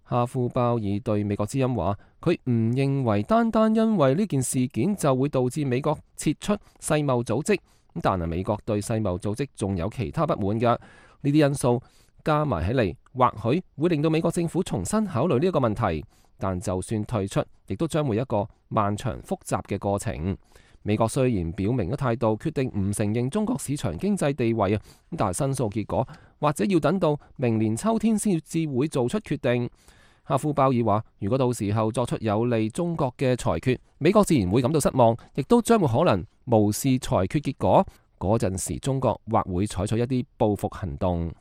哈夫鮑爾對美國之音話：佢唔認為單單因為呢件事件就會導致美國撤出世貿組織，但係美國對世貿組織仲有其他不滿㗎。呢啲因素加埋起嚟，或許會令到美國政府重新考慮呢一個問題，但就算退出，亦都將會一個漫長複雜嘅過程。美國雖然表明咗態度，決定唔承認中國市場經濟地位啊，但係申訴結果或者要等到明年秋天先至會做出決定。哈夫鮑爾話：如果到時候作出有利中國嘅裁決，美國自然會感到失望，亦都將會可能無視裁決結果。嗰陣時，中國或會採取一啲報復行動。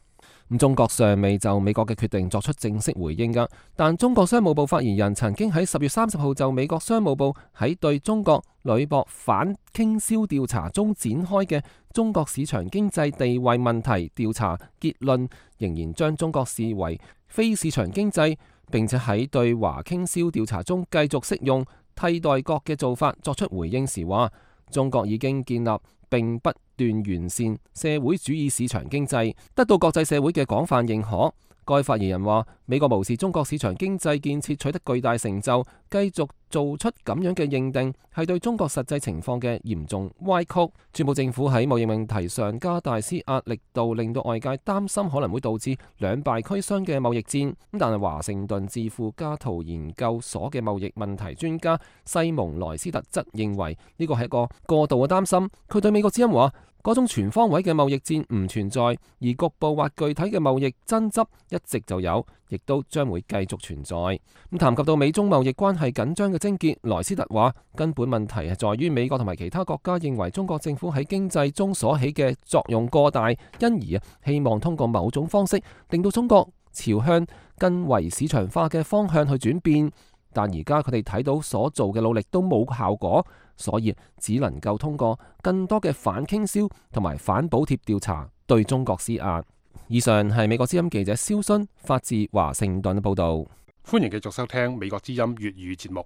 咁中國尚未就美國嘅決定作出正式回應㗎，但中國商務部發言人曾經喺十月三十號就美國商務部喺對中國鋁箔反傾銷調查中展開嘅中國市場經濟地位問題調查結論，仍然將中國視為非市場經濟，並且喺對華傾銷調查中繼續適用替代國嘅做法作出回應時話：中國已經建立並不斷完善社會主義市場經濟，得到國際社會嘅廣泛認可。該發言人話：美國無視中國市場經濟建設取得巨大成就，繼續做出咁樣嘅認定，係對中國實際情況嘅嚴重歪曲。川普政府喺貿易問題上加大施壓力度，令到外界擔心可能會導致兩敗俱傷嘅貿易戰。但係華盛頓智庫加圖研究所嘅貿易問題專家西蒙萊斯特則認為呢個係一個過度嘅擔心。佢對美國之音話：嗰種全方位嘅貿易戰唔存在，而局部或具體嘅貿易爭執一直就有，亦都將會繼續存在。咁談及到美中貿易關係緊張嘅症結，萊斯特話根本問題係在於美國同埋其他國家認為中國政府喺經濟中所起嘅作用過大，因而啊希望通過某種方式令到中國朝向更為市場化嘅方向去轉變。但而家佢哋睇到所做嘅努力都冇效果，所以只能夠通過更多嘅反傾銷同埋反補貼調查對中國施壓。以上係美國之音記者蕭勳發自華盛頓嘅報導。
歡迎繼續收聽美國之音粵語節目。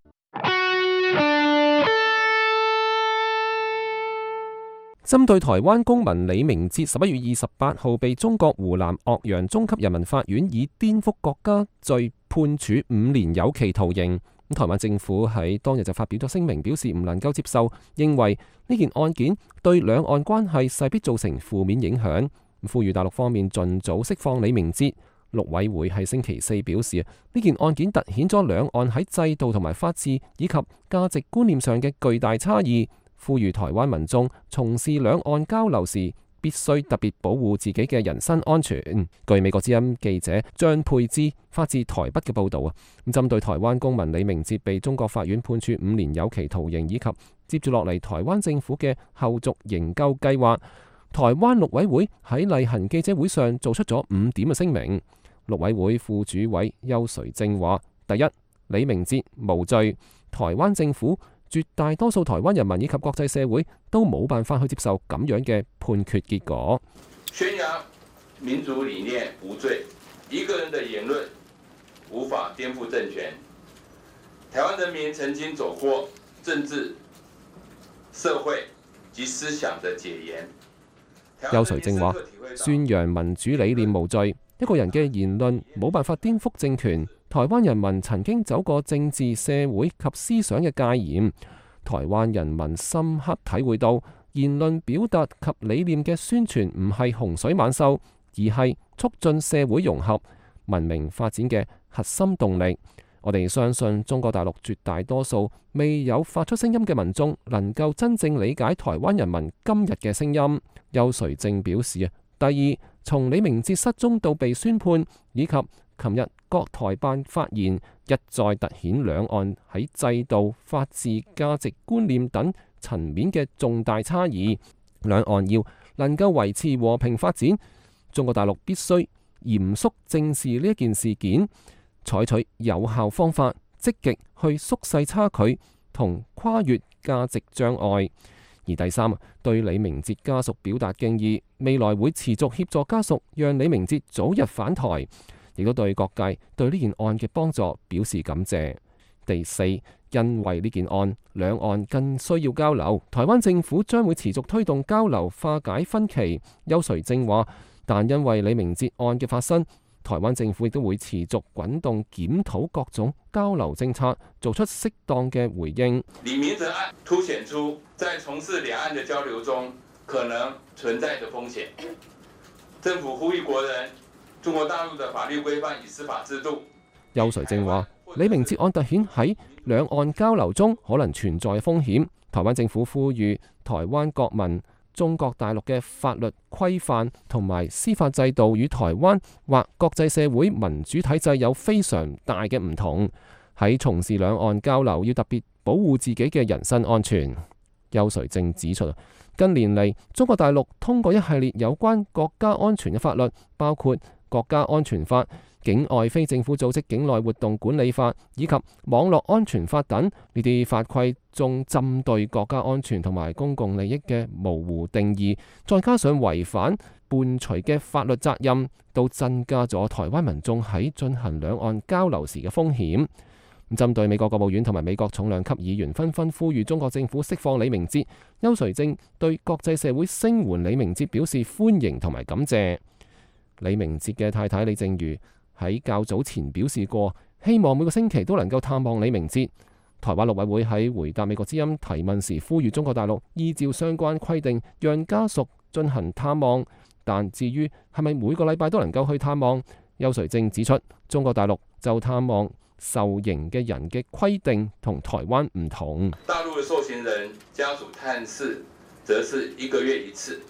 針對台灣公民李明哲十一月二十八號被中國湖南岳陽中級人民法院以顛覆國家罪判處五年有期徒刑。台灣政府喺當日就發表咗聲明，表示唔能夠接受，認為呢件案件對兩岸關係勢必造成負面影響，呼籲大陸方面盡早釋放李明哲。陸委會喺星期四表示，呢件案件凸顯咗兩岸喺制度同埋法治以及價值觀念上嘅巨大差異。呼籲台灣民眾從事兩岸交流時，必須特別保護自己嘅人身安全。據美國之音記者張佩芝發自台北嘅報導啊，咁針對台灣公民李明哲被中國法院判處五年有期徒刑，以及接住落嚟台灣政府嘅後續營救計劃，台灣陸委會喺例行記者會上做出咗五點嘅聲明。陸委會副主委邱垂正話：第一，李明哲無罪，台灣政府、絕大多數台灣人民以及國際社會都冇辦法去接受咁樣嘅判決結果。
宣揚民主理念無罪，一個人的言論無法顛覆政權。台灣人民曾經走過政治、社會及思想的解嚴。
邱垂正話：宣揚民主理念無罪，一個人嘅言論冇辦法顛覆政權。台灣人民曾經走過政治、社會及思想嘅戒嚴，台灣人民深刻體會到言論表達及理念嘅宣傳唔係洪水猛獸，而係促進社會融合、文明發展嘅核心動力。我哋相信中國大陸絕大多數未有發出聲音嘅民眾能夠真正理解台灣人民今日嘅聲音。邱垂正表示啊，第二，從李明哲失蹤到被宣判，以及琴日國台辦發言，一再凸顯兩岸喺制度、法治、價值觀念等層面嘅重大差異。兩岸要能夠維持和平發展，中國大陸必須嚴肅正視呢一件事件，採取有效方法，積極去縮細差距同跨越價值障礙，而第三，對李明哲家屬表達敬意，未來會持續協助家屬，讓李明哲早日返台，亦都對各界對呢件案嘅幫助表示感謝。第四，因為呢件案，兩岸更需要交流，台灣政府將會持續推動交流化解分歧。邱垂正話，但因為李明哲案嘅發生，台灣政府亦都會持續滾動檢討各種交流政策，做出適當嘅回應。
李明哲案凸顯出在從事兩岸的交流中可能存在的風險。政府呼籲國人，中國大陸的法律規範與司法制度。
邱垂正話，李明哲案凸顯喺兩岸交流中可能存在風險。台灣政府呼籲台灣國民，中國大陸嘅法律規範同埋司法制度與台灣或國際社會民主體制有非常大嘅唔同，喺從事兩岸交流要特別保護自己嘅人身安全。邱垂正指出，近年嚟中國大陸通過一系列有關國家安全嘅法律，包括國家安全法、境外非政府組織境內活動管理法以及網絡安全法等，呢啲法規中針對國家安全同埋公共利益嘅模糊定義，再加上違反伴隨嘅法律責任，都增加咗台灣民眾喺進行兩岸交流時嘅風險。咁針對美國國務院同埋美國重量級議員紛紛呼籲中國政府釋放李明哲，邱垂正對國際社會聲援李明哲表示歡迎同埋感謝。李明哲嘅太太李淨瑜喺較早前表示過，希望每個星期都能夠探望李明哲。台灣陸委會喺回答美國之音提問時，呼籲中國大陸依照相關規定，讓家屬進行探望。但至於係咪每個禮拜都能夠去探望，邱垂正指出，中國大陸就探望受刑嘅人嘅規定同台灣唔同。
大陸嘅受刑人家屬探視，則是一個月一次，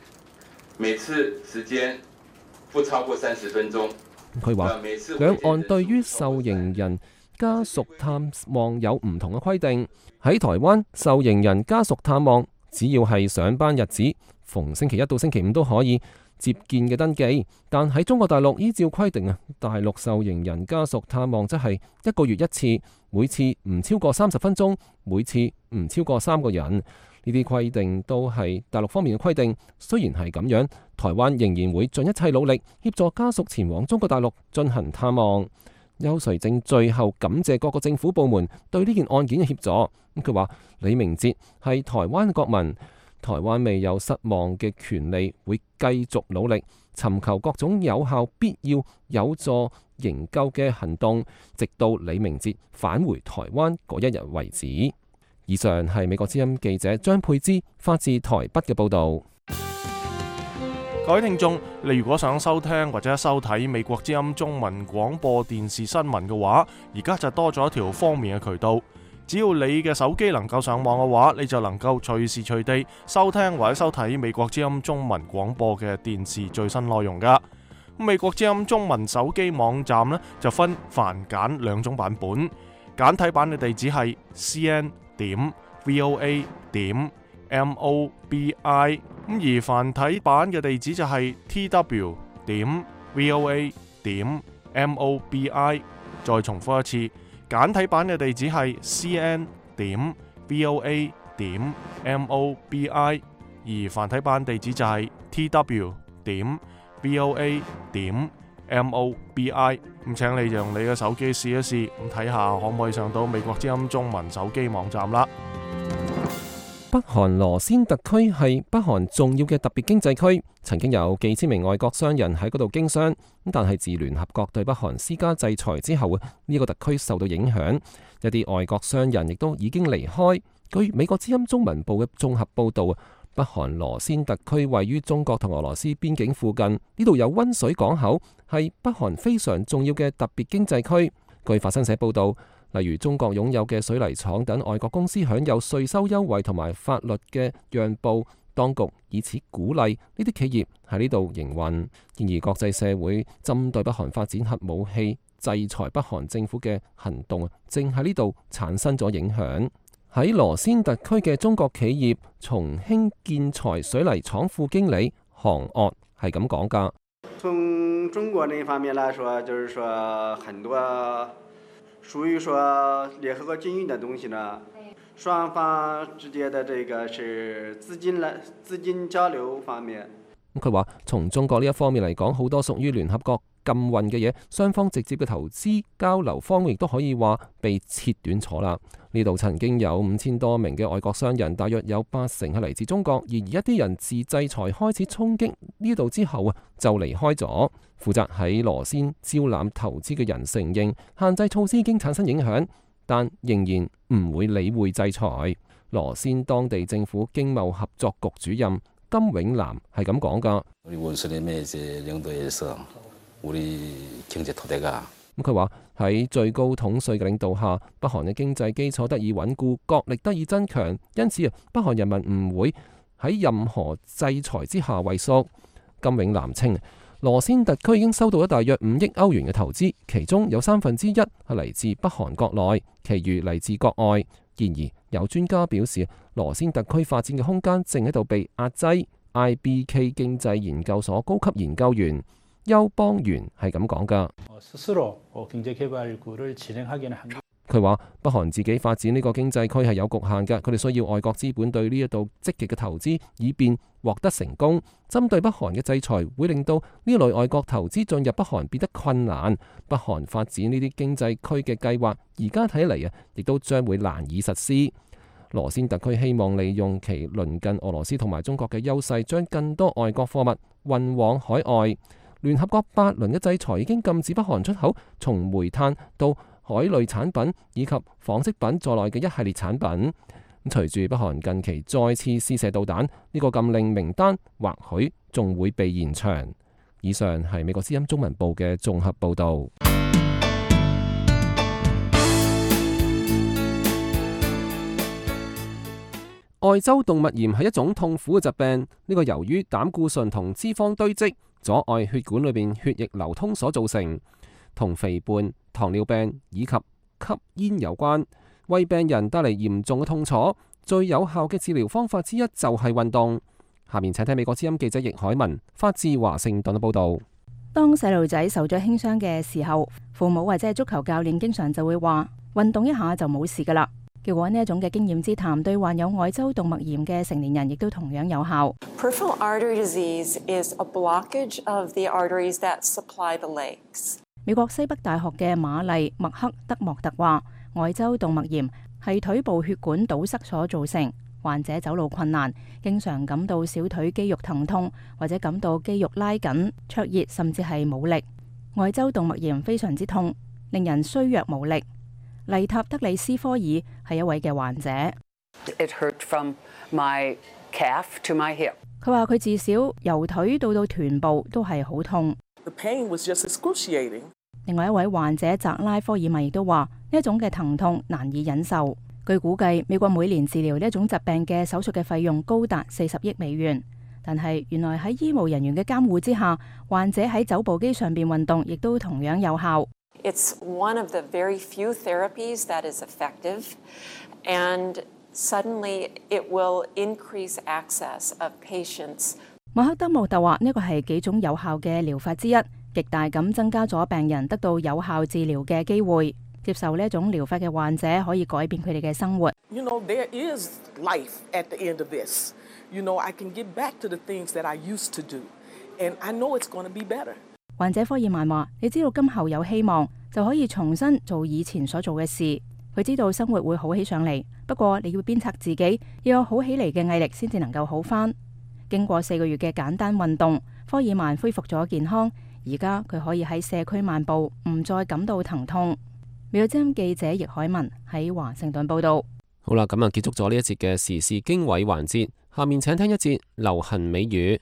每次時間不超過三十分鐘。
佢話兩岸對於受刑人家屬探望有唔同嘅規定。喺台灣，受刑人家屬探望只要係上班日子，逢星期一到星期五都可以接見嘅登記。但喺中國大陸依照規定啊，大陸受刑人家屬探望則係一個月一次，每次唔超過三十分鐘，每次唔超過三個人。呢啲規定都係大陸方面嘅規定。雖然係咁樣，台灣仍然會盡一切努力協助家屬前往中國大陸進行探望。邱垂正最後感謝各個政府部門對呢件案件嘅協助。佢話李明哲係台灣嘅國民，台灣未有失望嘅權利，會繼續努力尋求各種有效、必要、有助營救嘅行動，直到李明哲返回台灣嗰一日為止。以上係美國之音記者張佩芝發自台北嘅報導。
各位聽眾，你如果想收聽或者收睇美國之音中文廣播電視新聞嘅話，而家就多咗一條方便嘅渠道。只要你嘅手機能夠上網嘅話，你就能夠隨時隨地收聽或者收睇美國之音中文廣播嘅電視最新內容噶。美國之音中文手機網站呢，就分繁簡兩種版本，簡體版嘅地址係 c n 點 v o a 點 m o b i， 咁而繁體版嘅地址就係 t w 點 v o a 點 m o b i。 再重複一次，簡體版嘅地址係 c n 點 v o a 點 m o b i， 而繁體版地址就係 t w 點 v o a 點 m o b i。 咁請你用你嘅手機試一試，咁睇下可唔可以上到美國之音中文手機網站啦。
北韓羅先特區係北韓重要嘅特別經濟區，曾經有幾千名外國商人喺嗰度經商。但係自聯合國對北韓施加制裁之後，呢個特區受到影響，一啲外國商人亦都已經離開。據美國之音中文部嘅綜合報導，北韓羅先特區位於中國同俄羅斯邊境附近，呢度有溫水港口，係北韓非常重要嘅特別經濟區。據法新社報導，例如中國擁有嘅水泥廠等外國公司享有稅收優惠同埋法律嘅讓步，當局以此鼓勵呢啲企業喺呢度營運。然而國際社會針對北韓發展核武器、制裁北韓政府嘅行動，正喺呢度產生咗影響。喺羅先特區嘅中國企業重興建材水泥廠副經理韓岳係咁講㗎。
從中國那方面來說，就是說很多屬於說聯合國經營嘅東西呢，雙方之間的這個是資金來資金交流方面。
佢話從中國呢一方面嚟講，好多屬於聯合國禁運嘅嘢，雙方直接嘅投資交流方面亦都可以話被切斷咗啦。呢度曾經有五千多名嘅外國商人，大約有八成係嚟自中國，而一啲人自制裁開始衝擊呢度之後啊，就離開咗。負責喺羅先招攬投資嘅人承認，限制措施已經產生影響，但仍然唔會理會制裁。羅先當地政府經貿合作局主任金永南係咁講噶。咁佢話喺最高統帥嘅領導下，北韓嘅經濟基礎得以穩固，國力得以增強，因此啊，北韓人民唔會喺任何制裁之下畏縮。金永南稱，羅先特區已經收到咗大約五億歐元嘅投資，其中有三分之一係嚟自北韓國內，其餘嚟自國外。然而有專家表示，羅先特區發展嘅空間正喺度被壓制。I B K 經濟研究所高級研究員邱邦元係咁講噶。佢話北韓自己發展呢個經濟區係有局限嘅，佢哋需要外國資本對呢一度積極嘅投資，以便獲得成功。針對北韓嘅制裁會令到呢類外國投資進入北韓變得困難。北韓發展呢啲經濟區嘅計劃而家睇嚟啊，亦都將會難以實施。羅先特區希望利用其鄰近俄羅斯同埋中國嘅優勢，將更多外國貨物運往海外。聯合國八輪嘅制裁已經禁止北韓出口從煤炭到海類產品以及紡織品在內嘅一系列產品。隨住北韓近期再次試射導彈，呢個禁令名單或許仲會被延長。以上係美國之音中文部嘅綜合報導。愛周動脈炎係一種痛苦嘅疾病，呢個由於膽固醇同脂肪堆積，阻礙血管裏邊血液流通所造成，同肥胖、糖尿病以及吸煙有關，為病人帶嚟嚴重嘅痛楚。最有效嘅治療方法之一就係運動。下面請聽美國之音記者易海文發自華盛頓嘅報道。
當細路仔受咗輕傷嘅時候，父母或者係足球教練經常就會話運動一下就冇事噶啦。結果呢一種嘅經驗之談，對患有愛周動脈炎嘅成年人亦都同樣有效。
Peripheral artery disease is a blockage of the arteries that supply the legs.
美國西北大學嘅瑪麗麥克德莫特話，愛周動脈炎係腿部血管堵塞所造成，患者走路困難，經常感到小腿肌肉疼痛，或者感到肌肉拉緊、灼熱，甚至係冇力。愛周動脈炎非常之痛，令人衰弱無力。麗塔德里斯科爾係一位嘅患者。
It hurt from my calf to my hip.
佢話佢至少由腿到到臀部都係好痛。
The pain was just excruciating.
另外一位患者澤拉科爾米亦都話呢一種嘅疼痛難以忍受。據估計，美國每年治療呢一種疾病嘅手術嘅費用高達四十億美元。但係原來喺醫務人員嘅監護之下，患者喺走步機上邊運動亦都同樣有效。
It's one of the very few therapies that is effective, and suddenly it will increase access of patients.
馬克德莫特話呢個係幾種有效嘅療法之一，極大咁增加咗病人得到有效治療嘅機會。接受呢一種療法嘅患者可以改變佢哋嘅生活。
You know, there is life at the end of this. You know, I can get back to the things that I used to do, and I know it's going to be better.
患者科爾曼話：你知道今後有希望，就可以重新做以前所做嘅事。佢知道生活會好起上嚟，不過你要鞭策自己，要有好起嚟嘅毅力，先至能夠好返。經過四個月嘅簡單運動，科爾曼恢復咗健康。而家佢可以喺社區漫步，唔再感到疼痛。美國之音記者易海文喺華盛頓報道。
好啦，咁啊結束咗呢一節嘅時事經緯環節，下面請聽一節流行美語。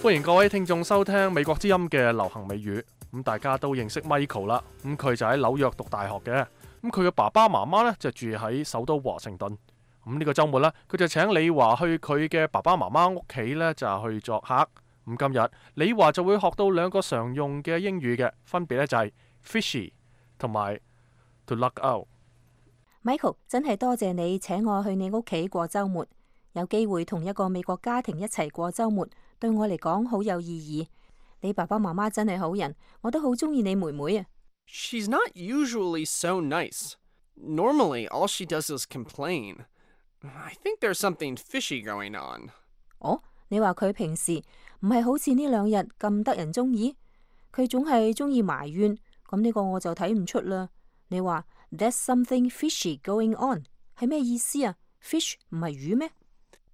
歡迎各位聽眾收聽美國之音嘅流行美語。咁大家都認識 Michael 啦，咁佢就喺紐約讀大學嘅。咁佢嘅爸爸媽媽呢，就住喺首都華盛頓。咁呢個週末呢，佢就請李華去佢嘅爸爸媽媽屋企呢，就去作客。咁今日李華就會學到兩個常用嘅英語嘅，分別呢就係 fishy 同埋 to luck out。Michael
真係多謝你請我去你屋企過週末，有機會同一個美國家庭一齊過週末，對我嚟講好有意義。
你爸爸媽媽真係好人，我都好中意你妹妹啊。
She's not usually so nice. Normally, all she does is complain. I think there's something fishy going on.
哦，你話佢平時唔係好似呢兩日咁得人中意？佢總係中意埋怨，咁呢個我就睇唔出啦。你話 There's something fishy going on 係咩意思啊？ Fish 唔係魚咩？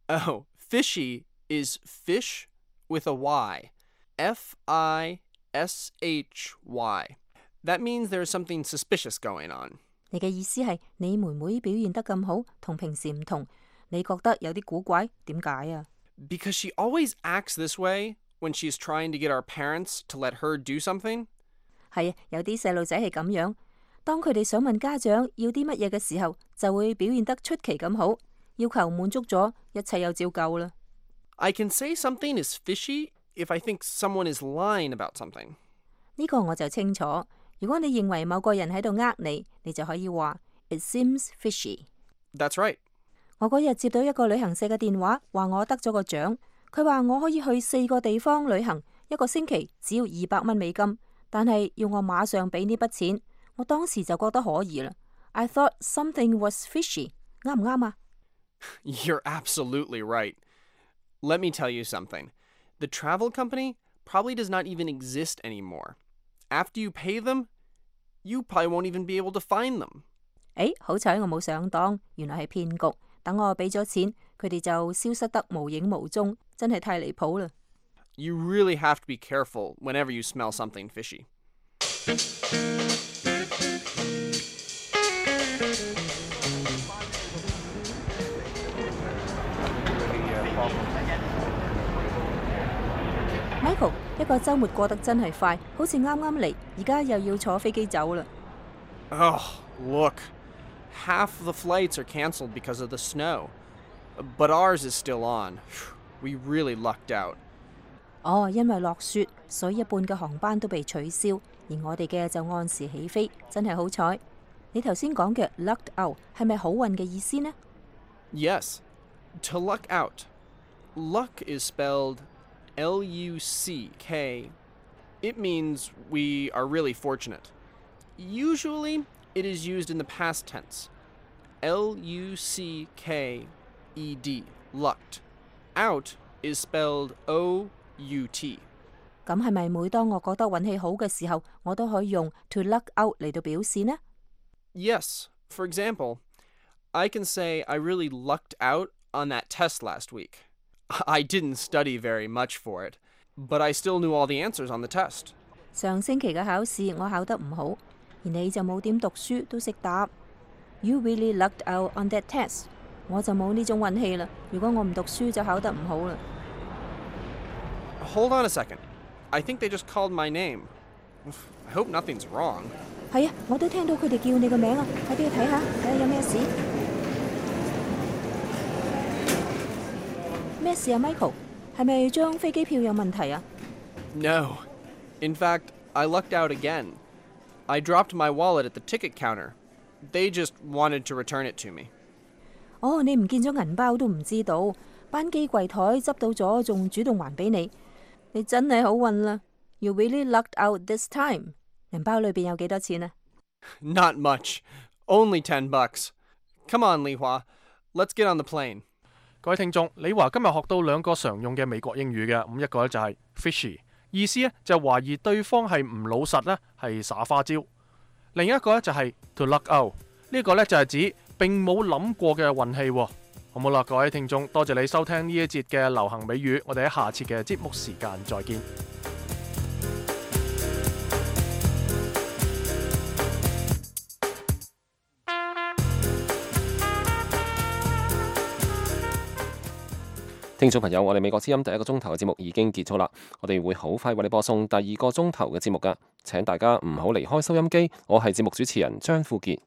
Oh, fishy is fish with a Y. F I S H Y. That means there's something suspicious going on.
你嘅意思係你妹妹表現得咁好，同平時唔同，你覺得有啲古怪，點解啊？
Because she always acts this way when she's trying to get our parents to let her do something.
係啊，有啲細路仔係咁樣，當佢哋想問家長要啲乜嘢嘅時候，就會表現得出奇咁好，要求滿足咗，一切又照舊啦。
I can say something is fishy if I think someone is lying about something.
呢個我就清楚。如果你認為某個人喺度呃你，你就可以話 It seems fishy.
That's right.
我嗰日接到一個旅行社嘅電話，話我得咗個獎。佢話我可以去四個地方旅行，一個星期只要二百蚊美金，但係要我馬上俾呢筆錢。我當時就覺得可疑啦。I thought something was fishy. 啱唔啱啊？
You're absolutely right. Let me tell you something. The travel company probably does not even exist anymore. After you pay them, you probably won't even be able to find them.
誒，好彩我冇上當，原來係騙局。等我俾咗錢，佢哋就消失得無影無蹤，真係太離譜啦。
You really have to be careful whenever you smell something fishy.
Michael， 一個週末過得真係快，好似啱啱嚟，而家又要坐飛機走啦。
Oh, look. Half the flights are canceled because of the snow. But ours is still on. We really lucked out.
哦，因為落雪，所以一半嘅航班都被取消，而我哋嘅就按時起飛，真係好彩。你頭先講嘅 lucked out 係咪好運嘅意思呢？
Yes. To luck out. Luck is spelled L U C K. It means we are really fortunate. Usually, it is used in the past tense. L U C K E D. Lucked. Out is spelled O U T.
咁係咪每當我覺得運氣好嘅時候，我都可以用 to luck out 嚟到表示呢？
Yes. For example, I can say I really lucked out on that test last week. I didn't study very much for it, but I still knew all the answers on the test.
上星期嘅考試我考得唔好，而你就冇點讀書都識答。You really lucked out on that test. 我就冇呢種運氣啦。如果我唔讀書就考得唔好啦。
Hold on a second. I think they just called my name. I hope nothing's wrong.
係啊，我都聽到佢哋叫你個名啊！快啲去睇下，睇下有咩事。咩事啊 ，Michael？ 係咪張飛機票有問題啊？
No. In fact, I lucked out again. I dropped my wallet at the ticket counter. They just wanted to return it to me.
哦，你唔見咗銀包都唔知道，班機櫃台執到咗，仲主動還俾你。你真係好運啦 ！You really lucked out this time。銀包裏邊有幾多錢啊
？Not much. Only ten bucks. Come on, Li Hua. Let's get on the plane.
各位聽眾，李華今日學到兩個常用嘅美國英語嘅，咁一個咧就係 fishy， 意思咧就係懷疑對方係唔老實咧，係耍花招；另一個咧就係 to luck out， 呢個咧就係指並冇諗過嘅運氣。好冇啦，各位聽眾，多謝你收聽呢一節嘅流行美語，我哋喺下次嘅節目時間再見。
聽眾朋友，我哋美國之音第一個鐘頭嘅節目已經結束啦，我哋會好快為你播送第二個鐘頭嘅節目㗎，請大家唔好離開收音機，我係節目主持人張富傑。